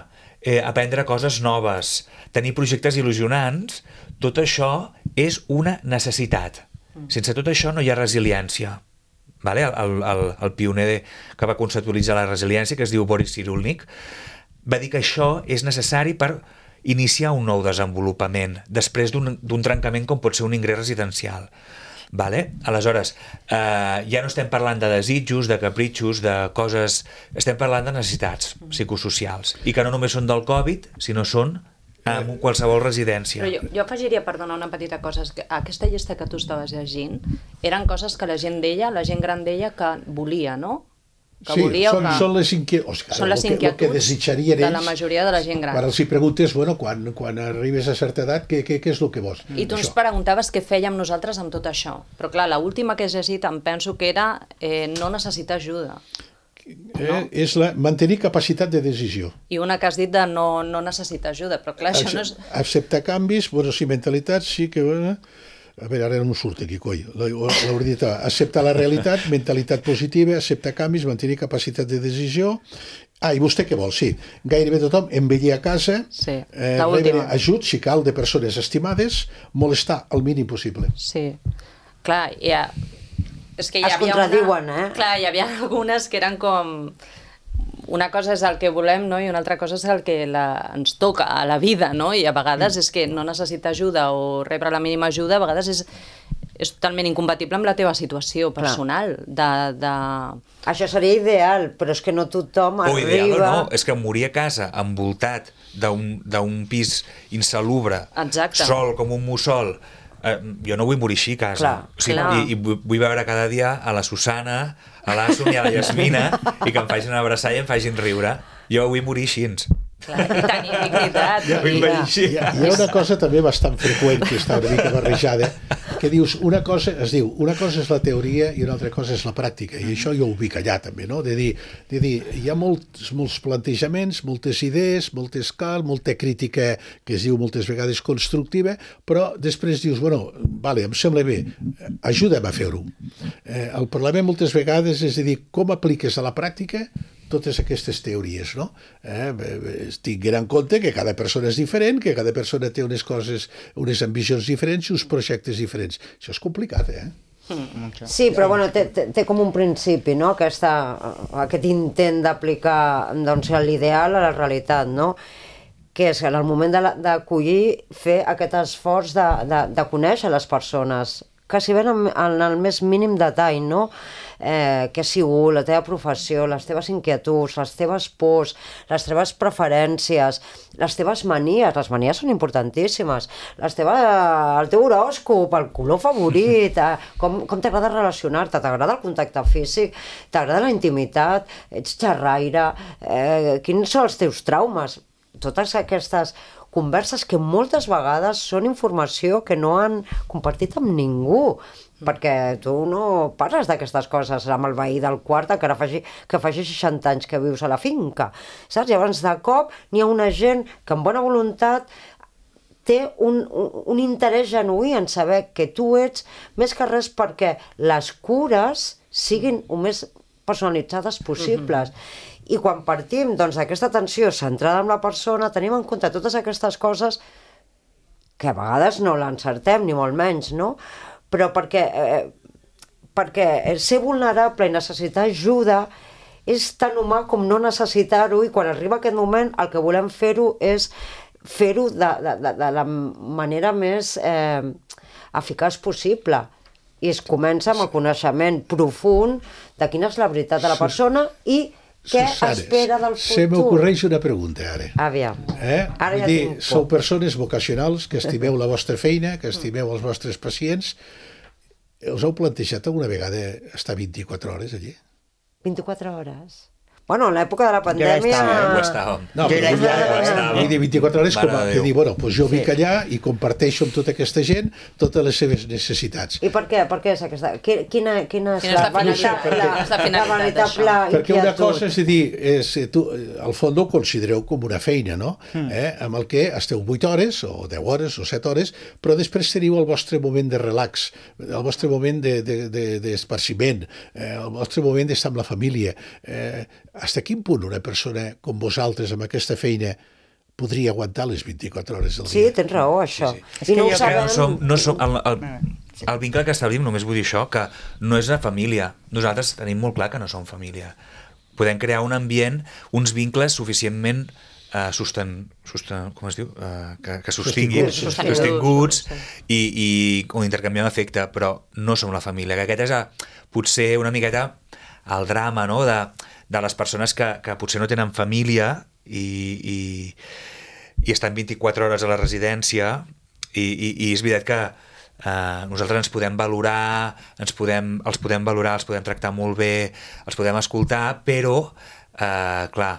eh, aprendre coses noves, tenir projectes il·lusionants, tot això és una necessitat. Mm. Sense tot això no hi ha resiliència. Vale? El, el, el pioner que va conceptualitzar la resiliència, que es diu Boris Cyrulnik, va dir que això és necessari per iniciar un nou desenvolupament després d'un trencament com pot ser un ingrés residencial. Vale? Aleshores, eh, ja no estem parlant de desitjos, de capritxos, de coses... Estem parlant de necessitats psicosocials. I que no només són del Covid, sinó són en qualsevol residència. Però jo, jo afegiria, perdona, una petita cosa. És que aquesta llista que tu estaves llegint eren coses que la gent deia, la gent gran deia que volia, no? Que sí, volia són, que... són les, inquiet... o sigui, són les el que, el que inquietuds de la majoria de la gent gran. Quan els hi preguntes, bueno, quan, quan arribes a certa edat, què, què, què és el que vols? I tu ens això. preguntaves què fèiem nosaltres amb tot això. Però clar, l'última que he llegit em penso que era eh, no necessitar ajuda. Eh, és la, mantenir capacitat de decisió. I una que has dit de no, no necessitar ajuda, però clar, això no és... Acceptar canvis, bueno, sí, mentalitat, sí que... Bueno, a veure, ara no em surt aquí, coi. L'hauria dit, acceptar la realitat, mentalitat positiva, acceptar canvis, mantenir capacitat de decisió. Ah, i vostè què vol? Sí, gairebé tothom envellir a casa, sí, eh, rebre ajut, si cal, de persones estimades, molestar el mínim possible. Sí, clar, ja... És que hi es havia contradiuen, una... eh? Clar, hi havia algunes que eren com... Una cosa és el que volem, no? I una altra cosa és el que la... ens toca a la vida, no? I a vegades mm. és que no necessitar ajuda o rebre la mínima ajuda, a vegades és, és totalment incompatible amb la teva situació personal. De, de... Això seria ideal, però és que no tothom o arriba... O ideal o no, és que morir a casa envoltat d'un pis insalubre, exacte, sol com un mussol... Eh, jo no vull morir així a casa. Clar, o sigui, clar. I, i vull veure cada dia a la Susana, a l'Assun i a la Yasmina i que em facin abraçar i em facin riure. Jo vull morir així. Clar, i tenir dignitat. Ja, I, hi, ha, hi ha una cosa també bastant freqüent que està una mica barrejada, que dius, una cosa, es diu, una cosa és la teoria i una altra cosa és la pràctica, i això jo ho vull allà també, no? De dir, de dir hi ha molts, molts plantejaments, moltes idees, molt escal, molta crítica que es diu moltes vegades constructiva, però després dius, bueno, vale, em sembla bé, ajuda'm a fer-ho. Eh, el problema moltes vegades és a dir, com apliques a la pràctica totes aquestes teories, no? Eh, tinguin en compte que cada persona és diferent, que cada persona té unes coses, unes ambicions diferents i uns projectes diferents. Això és complicat, eh? Sí, però bueno, té, té, té com un principi, no? Aquesta, aquest intent d'aplicar doncs, l'ideal a la realitat, no? Que és en el moment d'acollir, fer aquest esforç de, de, de conèixer les persones, que si ven en, en el més mínim detall, no? Eh, què ha sigut, la teva professió, les teves inquietuds, les teves pors, les teves preferències, les teves manies, les manies són importantíssimes, les teves, el teu horòscop, el color favorit, eh, com, com t'agrada relacionar-te, t'agrada el contacte físic, t'agrada la intimitat, ets xerraire, eh, quins són els teus traumes, totes aquestes converses que moltes vegades són informació que no han compartit amb ningú, perquè tu no parles d'aquestes coses amb el veí del quart encara faci, que faci seixanta anys que vius a la finca, saps? Llavors de cop n'hi ha una gent que amb bona voluntat té un, un, un interès genuí en saber que tu ets, més que res perquè les cures siguin el més personalitzades possibles. Mm-hmm. I quan partim doncs, d'aquesta atenció centrada en la persona, tenim en compte totes aquestes coses que a vegades no l'encertem, ni molt menys, no? Però perquè, eh, perquè ser vulnerable i necessitar ajuda és tan humà com no necessitar-ho, i quan arriba aquest moment el que volem fer-ho és fer-ho de, de, de, de la manera més eh, eficaç possible. I es comença amb el coneixement profund de quina és la veritat de la persona i què Susanes, espera del futur. Se m'ocorreix una pregunta, ara. Aviam. Eh? Ara Vull ja dir, tinc sou por. persones vocacionals, que estimeu la vostra feina, que estimeu els vostres pacients. Us heu plantejat alguna vegada estar vint-i-quatre hores allí? vint-i-quatre hores? Bueno, en l'època de la pandèmia... estava, eh? Ho estàvem. No, Jo però ja ja, estava. vull dir, vint-i-quatre hores com a, Mare de que Déu. dir, bueno, doncs jo Sí. vinc allà i comparteixo amb tota aquesta gent totes les seves necessitats. I per què? Per què és aquesta? Qui- Quina, quina és Quina és la la finalitat? veritable, Quina és la finalitat la veritable Perquè una inquietud? cosa és a dir, és, tu, al fons ho considereu com una feina, no? Mm. Eh? Amb el que esteu vuit hores, o deu hores, o set hores, però després teniu el vostre moment de relax, el vostre moment d'esparciment, de, de, de, eh, el vostre moment d'estar amb la família. Eh, hasta quin punt una persona com vosaltres, amb aquesta feina, podria aguantar les vint-i-quatre hores del Sí, dia? tens raó, això. És I que no ho jo Que sabem... no som, no som el, el, el vincle que establim, només vull dir això, que no és una família. Nosaltres tenim molt clar que no som família. Podem crear un ambient, uns vincles suficientment uh, sosten, sosten, com es diu? Uh, que, que sostinguin, Sostinguts. sostinguts i, i on intercanviem afecte, però no som la família, que aquest és a, potser una miqueta el drama, no?, de, de les persones que, que potser no tenen família i, i, i estan vint-i-quatre hores a la residència i, i, i és veritat que Uh, nosaltres ens podem valorar, ens podem, els podem valorar, els podem tractar molt bé, els podem escoltar, però, uh, clar,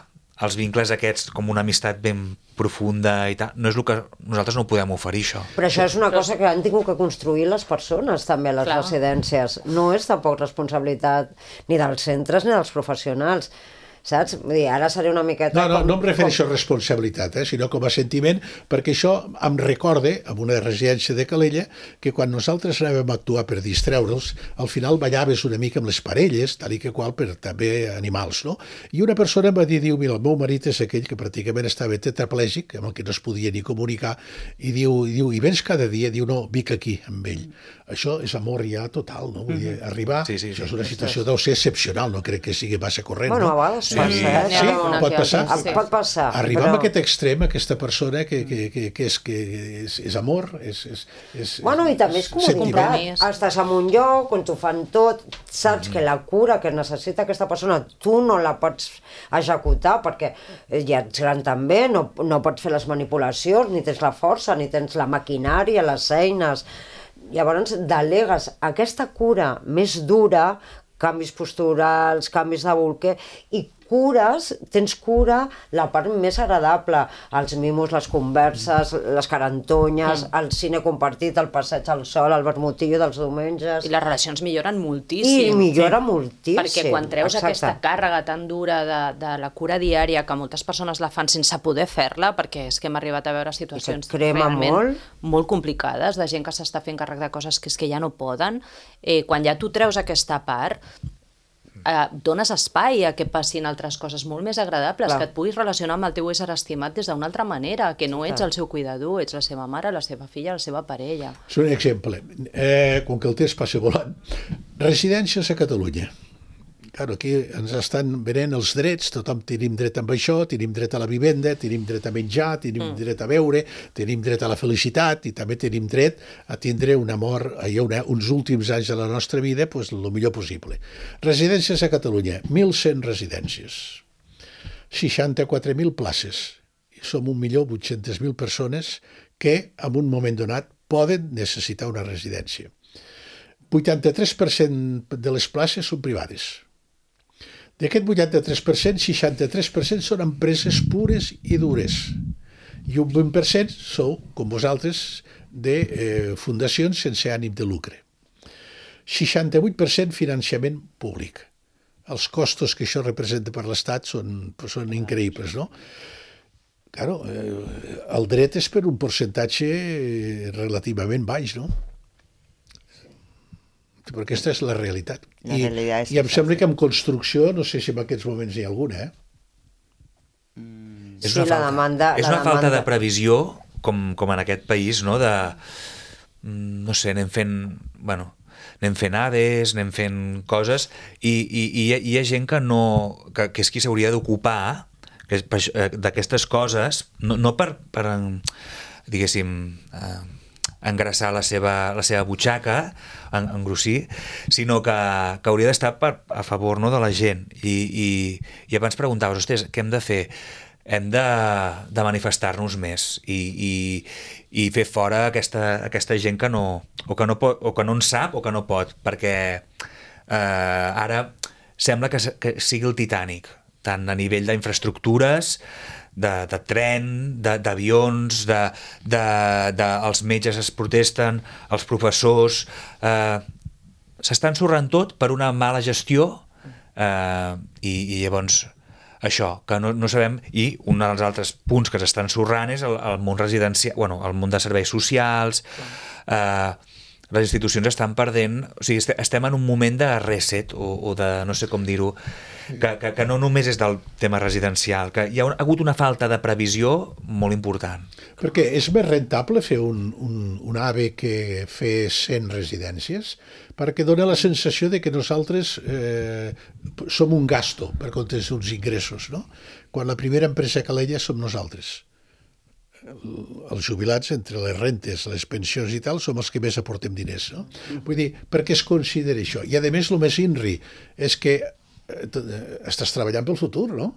els vincles aquests, com una amistat ben profunda i tal, no és el que nosaltres no podem oferir, això. Però això és una cosa que han tingut que construir les persones, també, a les Clar. residències. No és tampoc responsabilitat ni dels centres ni dels professionals. Saps? Vull dir, ara seré una miqueta... No, no, com, no em refereixo com... a responsabilitat, eh, sinó com a sentiment, perquè això em recorda, en una residència de Calella, que quan nosaltres anàvem a actuar per distreure'ls, al final ballaves una mica amb les parelles, tal i que qual, per també animals, no? I una persona em va dir, diu, mira, el meu marit és aquell que pràcticament estava tetraplègic, amb el que no es podia ni comunicar, i diu, i diu, i vens cada dia? Diu, no, vic aquí, amb ell. Això és amor ja total, no? Vull dir, arribar, Sí, sí, sí. això és una situació deu ser excepcional, no crec que sigui massa corrent, Bueno, no? a vegades Sí. passa, eh? Sí, N'hi ha pot alguna passar. que Ah, altra, sí. pot passar. Arribar però... a aquest extrem, aquesta persona que, que, que, que, és, que és, és amor, és, és, és, Bueno, i també és comunitat. Compromís. Estàs en un lloc on t'ho fan tot, saps que la cura que necessita aquesta persona tu no la pots executar perquè ja ets gran també, no, no pots fer les manipulacions, ni tens la força, ni tens la maquinària, les eines. Llavors delegues aquesta cura més dura, canvis posturals, canvis de bolquer, i cures, tens cura la part més agradable, els mimos, les converses, les carantonyes, Mm. el cine compartit, el passeig al sol, el vermutillo dels diumenges... I les relacions milloren moltíssim. I millora moltíssim. Perquè quan treus exacte. aquesta càrrega tan dura de, de la cura diària, que moltes persones la fan sense poder fer-la, perquè és que hem arribat a veure situacions I que crema realment molt. molt complicades, de gent que s'està fent càrrec de coses que és que ja no poden, eh, quan ja tu treus aquesta part, eh, dones espai a que passin altres coses molt més agradables, Clar. que et puguis relacionar amb el teu ésser estimat des d'una altra manera, que no ets el seu cuidador, ets la seva mare, la seva filla, la seva parella. És un exemple. Eh, com que el temps passa volant. Residències a Catalunya. Claro, aquí ens estan venent els drets, tothom tenim dret amb això, tenim dret a la vivenda, tenim dret a menjar, tenim mm. dret a beure, tenim dret a la felicitat i també tenim dret a tindre un amor, allò, una, uns últims anys de la nostra vida, pues, el millor possible. Residències a Catalunya, mil cent residències, seixanta-quatre mil places, i som un milió vuit-centes mil persones que en un moment donat poden necessitar una residència. vuitanta-tres per cent de les places són privades. D'aquest vuitanta-tres per cent, seixanta-tres per cent són empreses pures i dures. I un vint per cent sou, com vosaltres, de eh, fundacions sense ànim de lucre. seixanta-vuit per cent finançament públic. Els costos que això representa per l'Estat són, són increïbles, no? Claro, eh, el dret és per un percentatge relativament baix, no? Però aquesta és la realitat. La I, realitat és i em esa, sembla sí. que en construcció, no sé si en aquests moments n'hi ha alguna, eh? És Sí, una la falta, demanda- és la una falta demanda. de previsió, com, com en aquest país, no? De, mm, no sé, anem fent, bueno, anem fent ades, anem fent coses, i, i, i hi, ha, hi ha gent que no, que, que és qui s'hauria d'ocupar que és per això, eh, d'aquestes coses, no, no per, per en- diguéssim, eh, engrassar la seva, la seva butxaca, en, engrossir, sinó que, que hauria d'estar per, a favor, no, de la gent. I, i, i abans preguntaves, ostres, què hem de fer? Hem de, de manifestar-nos més i, i, i fer fora aquesta, aquesta gent que no, o que no pot, o que no en sap o que no pot, perquè eh, ara sembla que, que sigui el Titanic, tant a nivell d'infraestructures, de, de tren, de- d'avions, de, de, de, els metges es protesten, els professors... Eh, s'està ensorrant tot per una mala gestió eh, i, i llavors això, que no, no sabem, i un dels altres punts que s'estan ensorrant és el, el món residencial, bueno, el món de serveis socials, eh, les institucions estan perdent, o sigui, estem en un moment de reset o, o de, no sé com dir-ho, que, que, que no només és del tema residencial, que hi ha hagut una falta de previsió molt important. Perquè és més rentable fer un, un, un AVE que fer cent residències, perquè dona la sensació de que nosaltres eh, som un gasto per compte d'uns ingressos, no? Quan la primera empresa calella som nosaltres. Els jubilats, entre les rentes, les pensions i tal, som els que més aportem diners, no? Vull dir, per què es considera això? I a més, el més inri és que estàs treballant pel futur, no?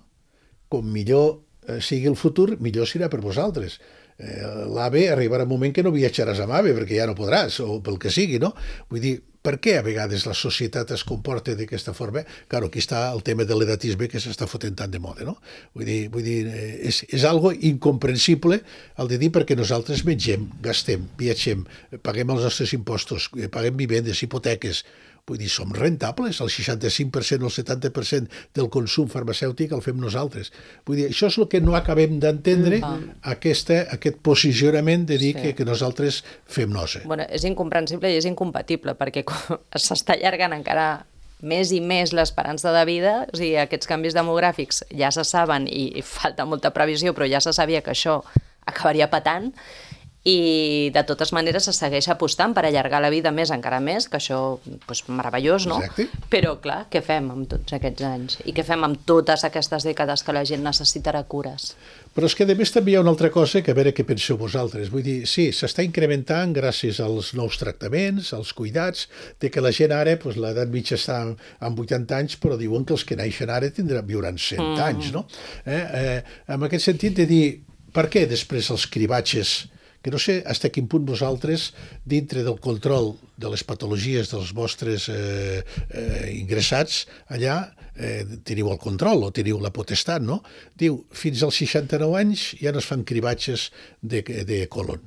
Com millor sigui el futur, millor serà per vosaltres. L'AVE arribarà un moment que no viatjaràs amb AVE perquè ja no podràs, o pel que sigui, no? Vull dir, per què a vegades la societat es comporta d'aquesta forma? Claro, aquí està el tema de l'edatisme que s'està fotent tant de moda, no? Vull dir, vull dir és, és algo incomprensible el de dir perquè nosaltres mengem, gastem, viatgem, paguem els nostres impostos, paguem vivendes, hipoteques. Vull dir, som rentables, el seixanta-cinc per cent o el setanta per cent del consum farmacèutic el fem nosaltres. Vull dir, això és el que no acabem d'entendre, mm. aquesta, aquest posicionament de dir sí. que, que nosaltres fem nosa. Bueno, és incomprensible i és incompatible, perquè s'està allargant encara més i més l'esperança de vida, o sigui, aquests canvis demogràfics ja se saben i, i falta molta previsió, però ja se sabia que això acabaria patant, i de totes maneres se segueix apostant per allargar la vida més encara més, que això és meravellós, no? Exacte. Però clar, què fem amb tots aquests anys? I què fem amb totes aquestes dècades que la gent necessitarà cures? Però és que a més també hi ha una altra cosa que a veure què penseu vosaltres. Vull dir, sí, s'està incrementant gràcies als nous tractaments, als cuidats, de que la gent ara, doncs, l'edat mitja està amb vuitanta anys, però diuen que els que naixen ara tindran, viuran cent mm. anys, no? Eh, eh, en aquest sentit de dir, per què després els cribatges, que no sé fins a quin punt vosaltres, dintre del control de les patologies dels vostres eh, eh, ingressats allà, eh, teniu el control o teniu la potestat, no? Diu, fins als seixanta-nou anys ja no es fan cribatges de, de colon.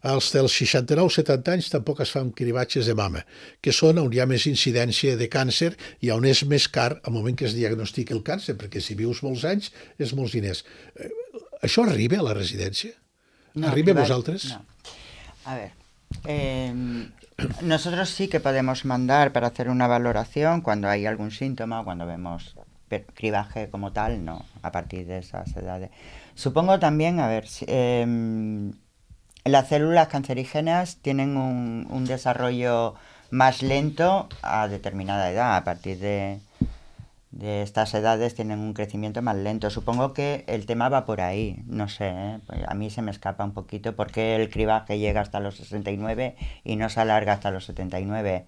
Als dels seixanta-nou setanta anys tampoc es fan cribatges de mama, que són on hi ha més incidència de càncer i on és més car al moment que es diagnostica el càncer, perquè si vius molts anys és molts diners. Eh, això arriba a la residència? No, ¿Arriba va, vosotros? No. A ver, eh, nosotros sí que podemos mandar para hacer una valoración cuando hay algún síntoma, cuando vemos cribaje como tal, no, a partir de esas edades. Supongo también, a ver, eh, las células cancerígenas tienen un, un desarrollo más lento a determinada edad, a partir de... de estas edades tienen un crecimiento más lento. Supongo que el tema va por ahí, no sé, ¿eh? Pues a mí se me escapa un poquito por qué el cribaje llega hasta los sesenta y nueve y no se alarga hasta los setenta y nueve.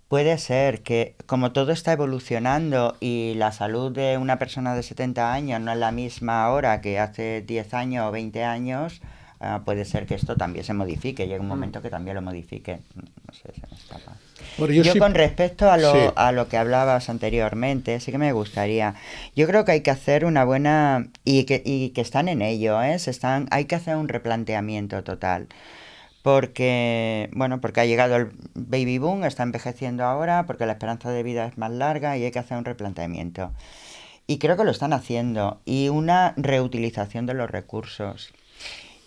Puede ser que como todo está evolucionando y la salud de una persona de setenta años no es la misma ahora que hace diez años o veinte años, uh, puede ser que esto también se modifique, llegue un momento que también lo modifique. No sé, se me escapa. Bueno, yo yo sí... con respecto a lo, sí. a lo que hablabas anteriormente, sí que me gustaría. Yo creo que hay que hacer una buena... Y que, y que están en ello, ¿eh? Se están, hay que hacer un replanteamiento total. Porque, bueno, porque ha llegado el baby boom, está envejeciendo ahora, porque la esperanza de vida es más larga y hay que hacer un replanteamiento. Y creo que lo están haciendo. Y una reutilización de los recursos.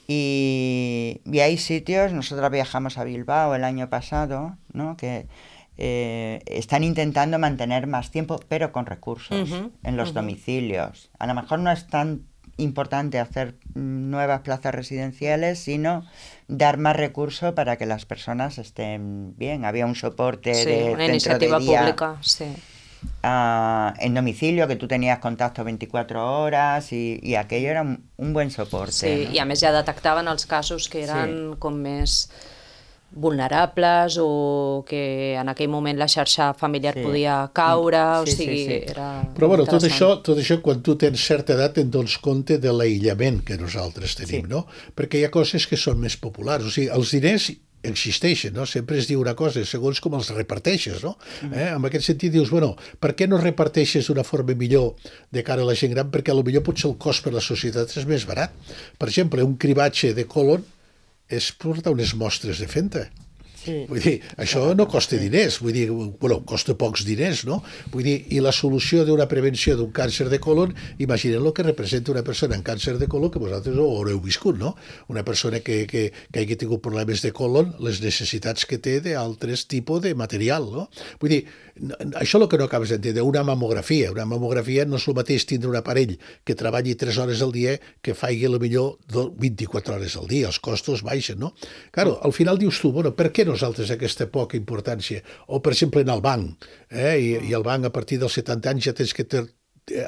Y, y hay sitios, nosotros viajamos a Bilbao el año pasado, ¿no? Que eh, están intentando mantener más tiempo, pero con recursos uh-huh, en los uh-huh. domicilios. A lo mejor no es tan importante hacer nuevas plazas residenciales, sino dar más recursos para que las personas estén bien. Había un soporte sí, de una centro iniciativa de día, pública, sí. Uh, en domicilio, que tú tenías contacto veinticuatro horas i, i aquello era un, un buen soporte. Sí, no? I a més ja detectaven els casos que eren sí. com més vulnerables o que en aquell moment la xarxa familiar sí. podia caure, sí, o sigui, sí, sí. era Però bueno, tot això, tot això, quan tu tens certa edat, te'n dones compte de l'aïllament que nosaltres tenim, sí. no? Perquè hi ha coses que són més populars. O sigui, els diners existeixen, no? Sempre es diu una cosa, segons com els reparteixes, no? Eh? En aquest sentit dius, bueno, per què no reparteixes d'una forma millor de cara a la gent gran? Perquè potser potser el cost per a la societat és més barat. Per exemple, un cribatge de colon és portar unes mostres de fenta. Sí. Vull dir, això no costa diners, vull dir, bueno, costa pocs diners, no? Vull dir, i la solució d'una prevenció d'un càncer de colon, imaginem el que representa una persona amb càncer de colon, que vosaltres ho haureu viscut, no? Una persona que, que, que hagi tingut problemes de colon, les necessitats que té d'altres tipus de material, no? Vull dir, això és el que no acabes d'entendre, una mamografia. Una mamografia no és el mateix tindre un aparell que treballi tres hores al dia que faci a lo millor vint-i-quatre hores al dia, els costos baixen, no? Claro, al final dius tu, bueno, per què nosaltres aquesta poca importància? O, per exemple, en el banc, eh? I, i el banc a partir dels setanta anys ja tens que ter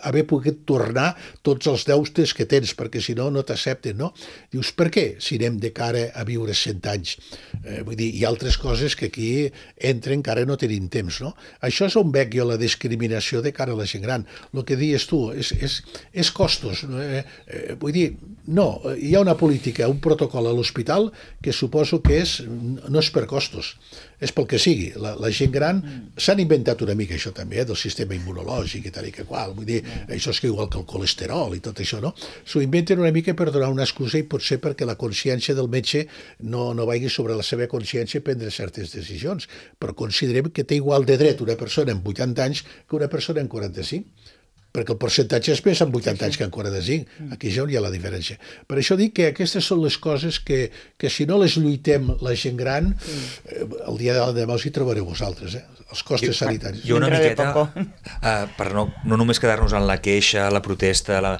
haver pogut tornar tots els deutes que tens, perquè si no, no t'accepten, no? Dius, per què? Si anem de cara a viure cent anys. Eh, vull dir, hi ha altres coses que aquí entren que ara no tenim temps, no? Això és on veig jo la discriminació de cara a la gent gran. El que dius tu, és, és, és costos. Eh, eh, vull dir, no, hi ha una política, un protocol a l'hospital que suposo que és, no és per costos, és pel que sigui. La, la gent gran s'han inventat una mica això també, eh, del sistema immunològic i tal i que qual. Vull dir, això és que igual que el colesterol i tot això, no? S'ho inventen una mica per donar una excusa i potser perquè la consciència del metge no, no vagi sobre la seva consciència a prendre certes decisions. Però considerem que té igual de dret una persona amb vuitanta anys que una persona amb quaranta-cinc. Perquè el percentatge és més amb vuitanta anys que amb quaranta-cinc. Aquí ja on hi ha la diferència. Per això dic que aquestes són les coses que, que si no les lluitem la gent gran, eh, el dia de demà us hi trobareu vosaltres, eh? Els costes sanitaris. Jo una miqueta, uh, per no, no només quedar-nos en la queixa, la protesta, la...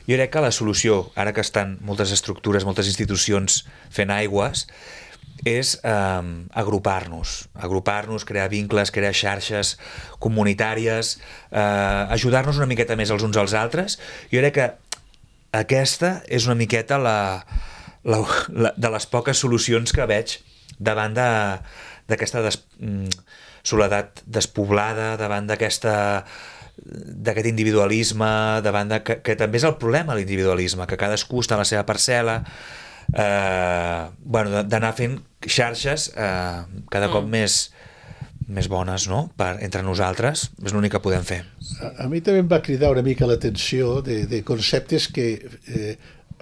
jo crec que la solució, ara que estan moltes estructures, moltes institucions fent aigües, és eh, agrupar-nos, agrupar-nos, crear vincles, crear xarxes comunitàries, eh, ajudar-nos una miqueta més els uns als altres. Jo crec que aquesta és una miqueta la, la, la, de les poques solucions que veig davant d'aquesta de, des, soledat despoblada, davant d'aquesta d'aquest individualisme, davant de, que, que també és el problema l'individualisme, que cadascú està a la seva parcel·la. Eh, bueno, d'anar fent xarxes eh, cada cop mm. més, més bones, no? Per, entre nosaltres, és l'únic que podem fer. A, a mi també em va cridar una mica l'atenció de, de conceptes que eh,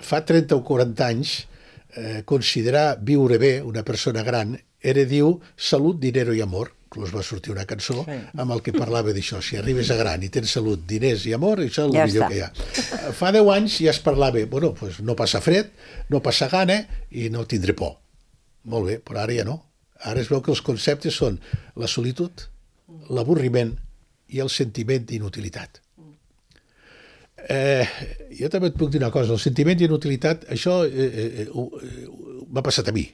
fa trenta o quaranta anys eh, considerar viure bé una persona gran era, diu, salut, dinero i amor. Inclús va sortir una cançó sí. amb el que parlava d'això. Si arribes a gran i tens salut, diners i amor, això és el ja millor està. Que hi ha. Fa deu anys ja es parlava, bueno, pues no passa fred, no passa gana i no tindré por. Molt bé, però ara ja no. Ara es veu que els conceptes són la solitud, l'avorriment i el sentiment d'inutilitat. Eh, jo també et puc dir una cosa, el sentiment d'inutilitat, això eh, eh, eh, m'ha passat a mi.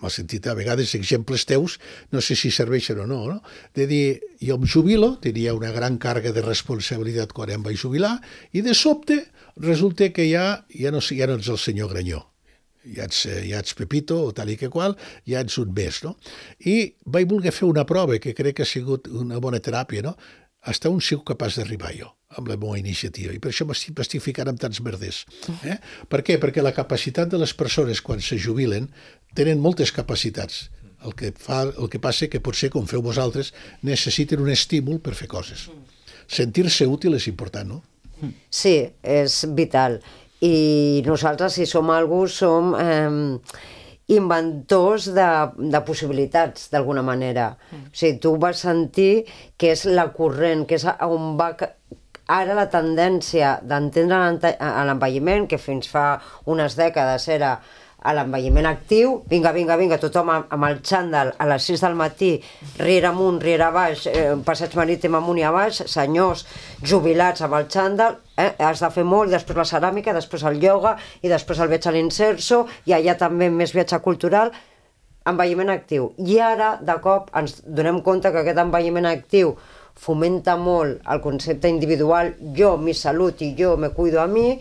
M'ha sentit a vegades exemples teus, no sé si serveixen o no, no? De dir, jo em jubilo, tenia una gran càrrega de responsabilitat quan em vaig jubilar, i de sobte resulta que ja, ja, no, ja no ets el senyor Granyó, ja ets, ja ets Pepito o tal i que qual, ja ets un més, no? I vaig voler fer una prova que crec que ha sigut una bona teràpia, no? Hasta on sigo capaç d'arribar jo amb la meva iniciativa, i per això m'estic ficant amb tants merders. Eh? Per què? Perquè la capacitat de les persones quan se jubilen tenen moltes capacitats. El que, fa, el que passa que potser, com feu vosaltres, necessiten un estímul per fer coses. Sentir-se útil és important, no? Sí, és vital. I nosaltres, si som algú, som eh, inventors de, de possibilitats, d'alguna manera. Mm. O sigui, tu vas sentir que és la corrent, que és on va... Ara la tendència d'entendre l'envelliment, que fins fa unes dècades era a l'envelliment actiu, vinga, vinga, vinga, tothom amb el xandall a les sis del matí, riera amunt, riera baix, eh, passeig marítim amunt i a baix, senyors jubilats amb el xandall, eh, has de fer molt, després la ceràmica, després el ioga, i després el viatge a l'inserso, i allà també més viatge cultural, envelliment actiu. I ara, de cop, ens donem compte que aquest envelliment actiu fomenta molt el concepte individual, jo, mi salut i jo me cuido a mi,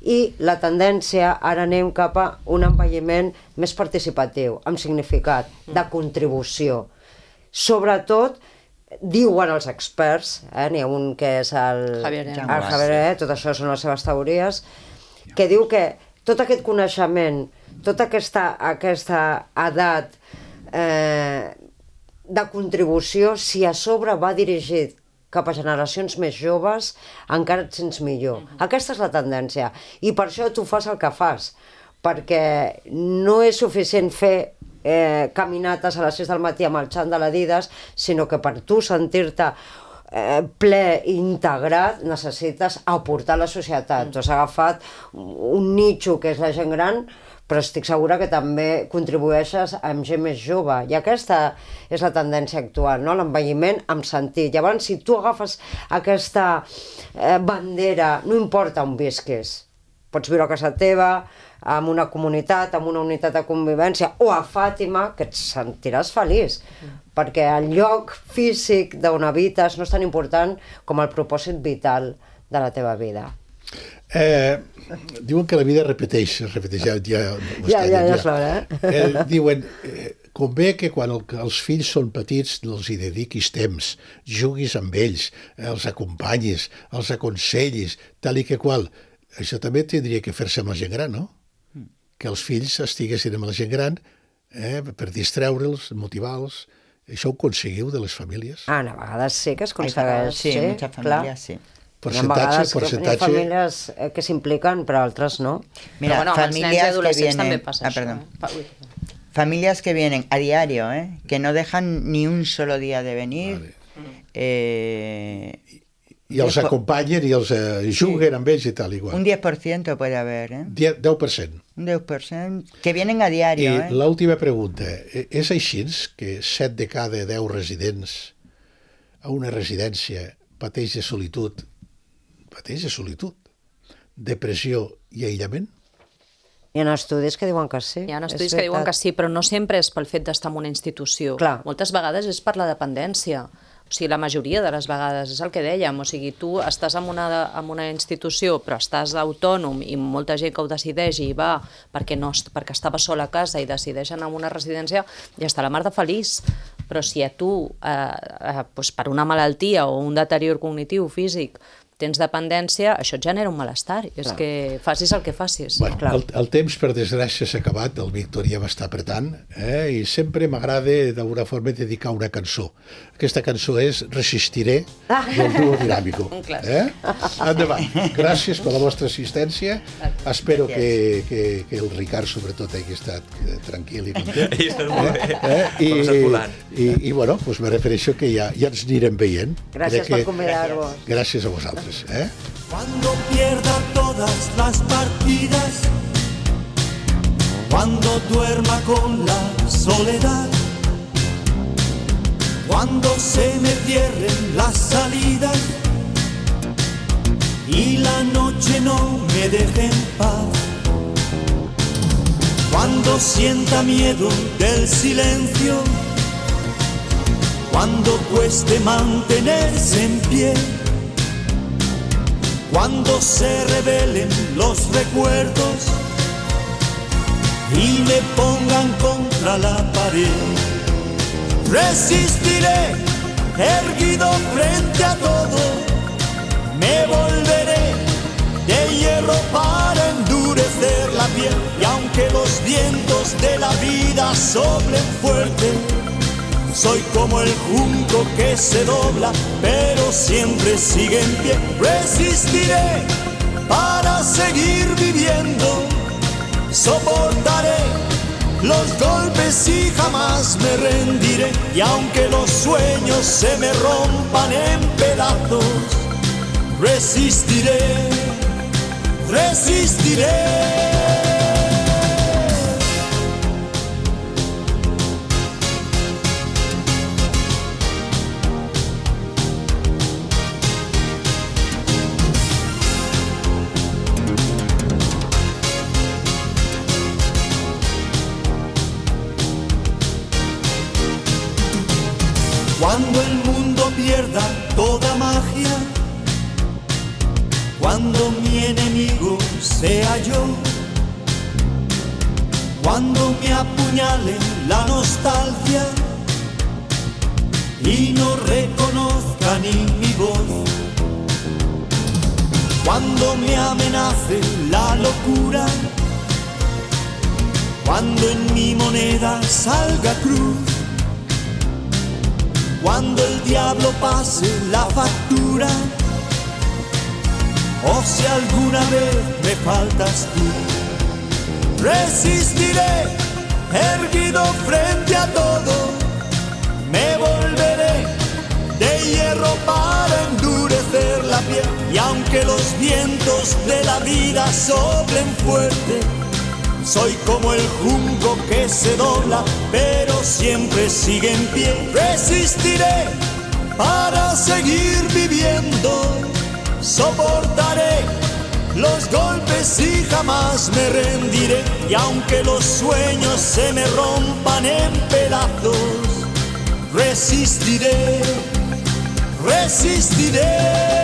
i la tendència, ara anem cap a un envelliment més participatiu, amb significat, de contribució. Sobretot, diuen els experts, eh, n'hi ha un que és el Javier, el Javier, tot això són les seves teories, que diu que tot aquest coneixement, tota aquesta, aquesta edat eh, de contribució, si a sobre va dirigit cap a generacions més joves, encara et sents millor. Uh-huh. Aquesta és la tendència. I per això tu fas el que fas, perquè no és suficient fer eh, caminates a les sis del matí amb el xant de l'Adidas, sinó que per tu sentir-te eh, ple i integrat necessites aportar a la societat. Mm. Tu has agafat un nicho que és la gent gran, però estic segura que també contribueixes amb gent més jove. I aquesta és la tendència actual, no? L'envelliment amb sentit. Llavors, si tu agafes aquesta eh, bandera, no importa on visquis, pots viure a casa teva, en una comunitat, en una unitat de convivència, o a Fàtima, que et sentiràs feliç, mm. perquè el lloc físic d'on habites no és tan important com el propòsit vital de la teva vida. Eh, diuen que la vida repeteix, es repeteix, ja, ja, ja, ja, ja és l'hora, eh? eh? Diuen, eh, convé que quan el, els fills són petits els hi dediquis temps, juguis amb ells, els acompanyis, els aconsellis, tal i que qual. Això també tindria que fer-se amb la gent gran, no? Que els fills estiguessin amb la gent gran eh, per distreure'ls, motivar-los. Això ho aconseguiu de les famílies? Ah, a vegades sí que es aconsegueix. Sí, sí, muchas familias, sí. Porcentaje, porcentaje... Hi ha famílies que s'impliquen, però altres no. Mira, bueno, familias que vienen... també passa ah, perdón. això. Familias que vienen a diario, ¿eh? Que no dejan ni un solo día de venir. Vale. Eh... I els acompanyen i els eh, juguen sí. amb ells i tal, igual. Un diez por ciento puede haver, ¿eh? deu per cent. Un deu per cent. Que vienen a diario, I ¿eh? l'última pregunta. És així que set de cada deu residents a una residència pateix de solitud, pateix de solitud, depressió i aïllament? Hi ha estudis que diuen que sí. Hi ha estudis que diuen que sí, però no sempre és pel fet d'estar en una institució. Clar. Moltes vegades és per la dependència. O sigui, la majoria de les vegades, és el que dèiem, o sigui, tu estàs en una, en una institució però estàs autònom i molta gent que ho decideix i va perquè, no, perquè estava sola a casa i decideixen en una residència i està la mar de feliç. Però si a tu, eh, eh, doncs per una malaltia o un deterior cognitiu, físic, tens dependència, això et genera un malestar. És clar. Que facis el que facis. Bueno, el, el temps, per desgràcia, s'ha acabat, el Víctor ja m'està apretant, eh? I sempre m'agrada d'alguna forma dedicar una cançó. Aquesta cançó és Resistiré, del duo Dinàmico. Eh? Endavant. Gràcies per la vostra assistència. Espero que, que, que el Ricard, sobretot, hagi estat tranquil i content. Ell està molt bé. Eh? I, i, i, bueno, pues me refereixo que ja, ja ens anirem veient. Gràcies per convidar-vos. Gràcies a vosaltres. ¿Eh? Cuando pierda todas las partidas, cuando duerma con la soledad, cuando se me cierren las salidas y la noche no me deje en paz, cuando sienta miedo del silencio, cuando cueste mantenerse en pie, cuando se revelen los recuerdos y me pongan contra la pared, resistiré erguido frente a todo, me volveré de hierro para endurecer la piel, y aunque los vientos de la vida soplen fuerte, soy como el junco que se dobla, pero siempre sigue en pie. Resistiré para seguir viviendo, soportaré los golpes y jamás me rendiré. Y aunque los sueños se me rompan en pedazos, resistiré, resistiré. Cuando el mundo pierda toda magia, cuando mi enemigo sea yo, cuando me apuñale la nostalgia y no reconozca ni mi voz, cuando me amenace la locura, cuando en mi moneda salga cruz, cuando el diablo pase la factura, o si alguna vez me faltas tú, resistiré erguido frente a todo, me volveré de hierro para endurecer la piel. Y aunque los vientos de la vida soplen fuerte, soy como el junco que se dobla, pero siempre sigue en pie. Resistiré para seguir viviendo, soportaré los golpes y jamás me rendiré. Y aunque los sueños se me rompan en pedazos, resistiré, resistiré.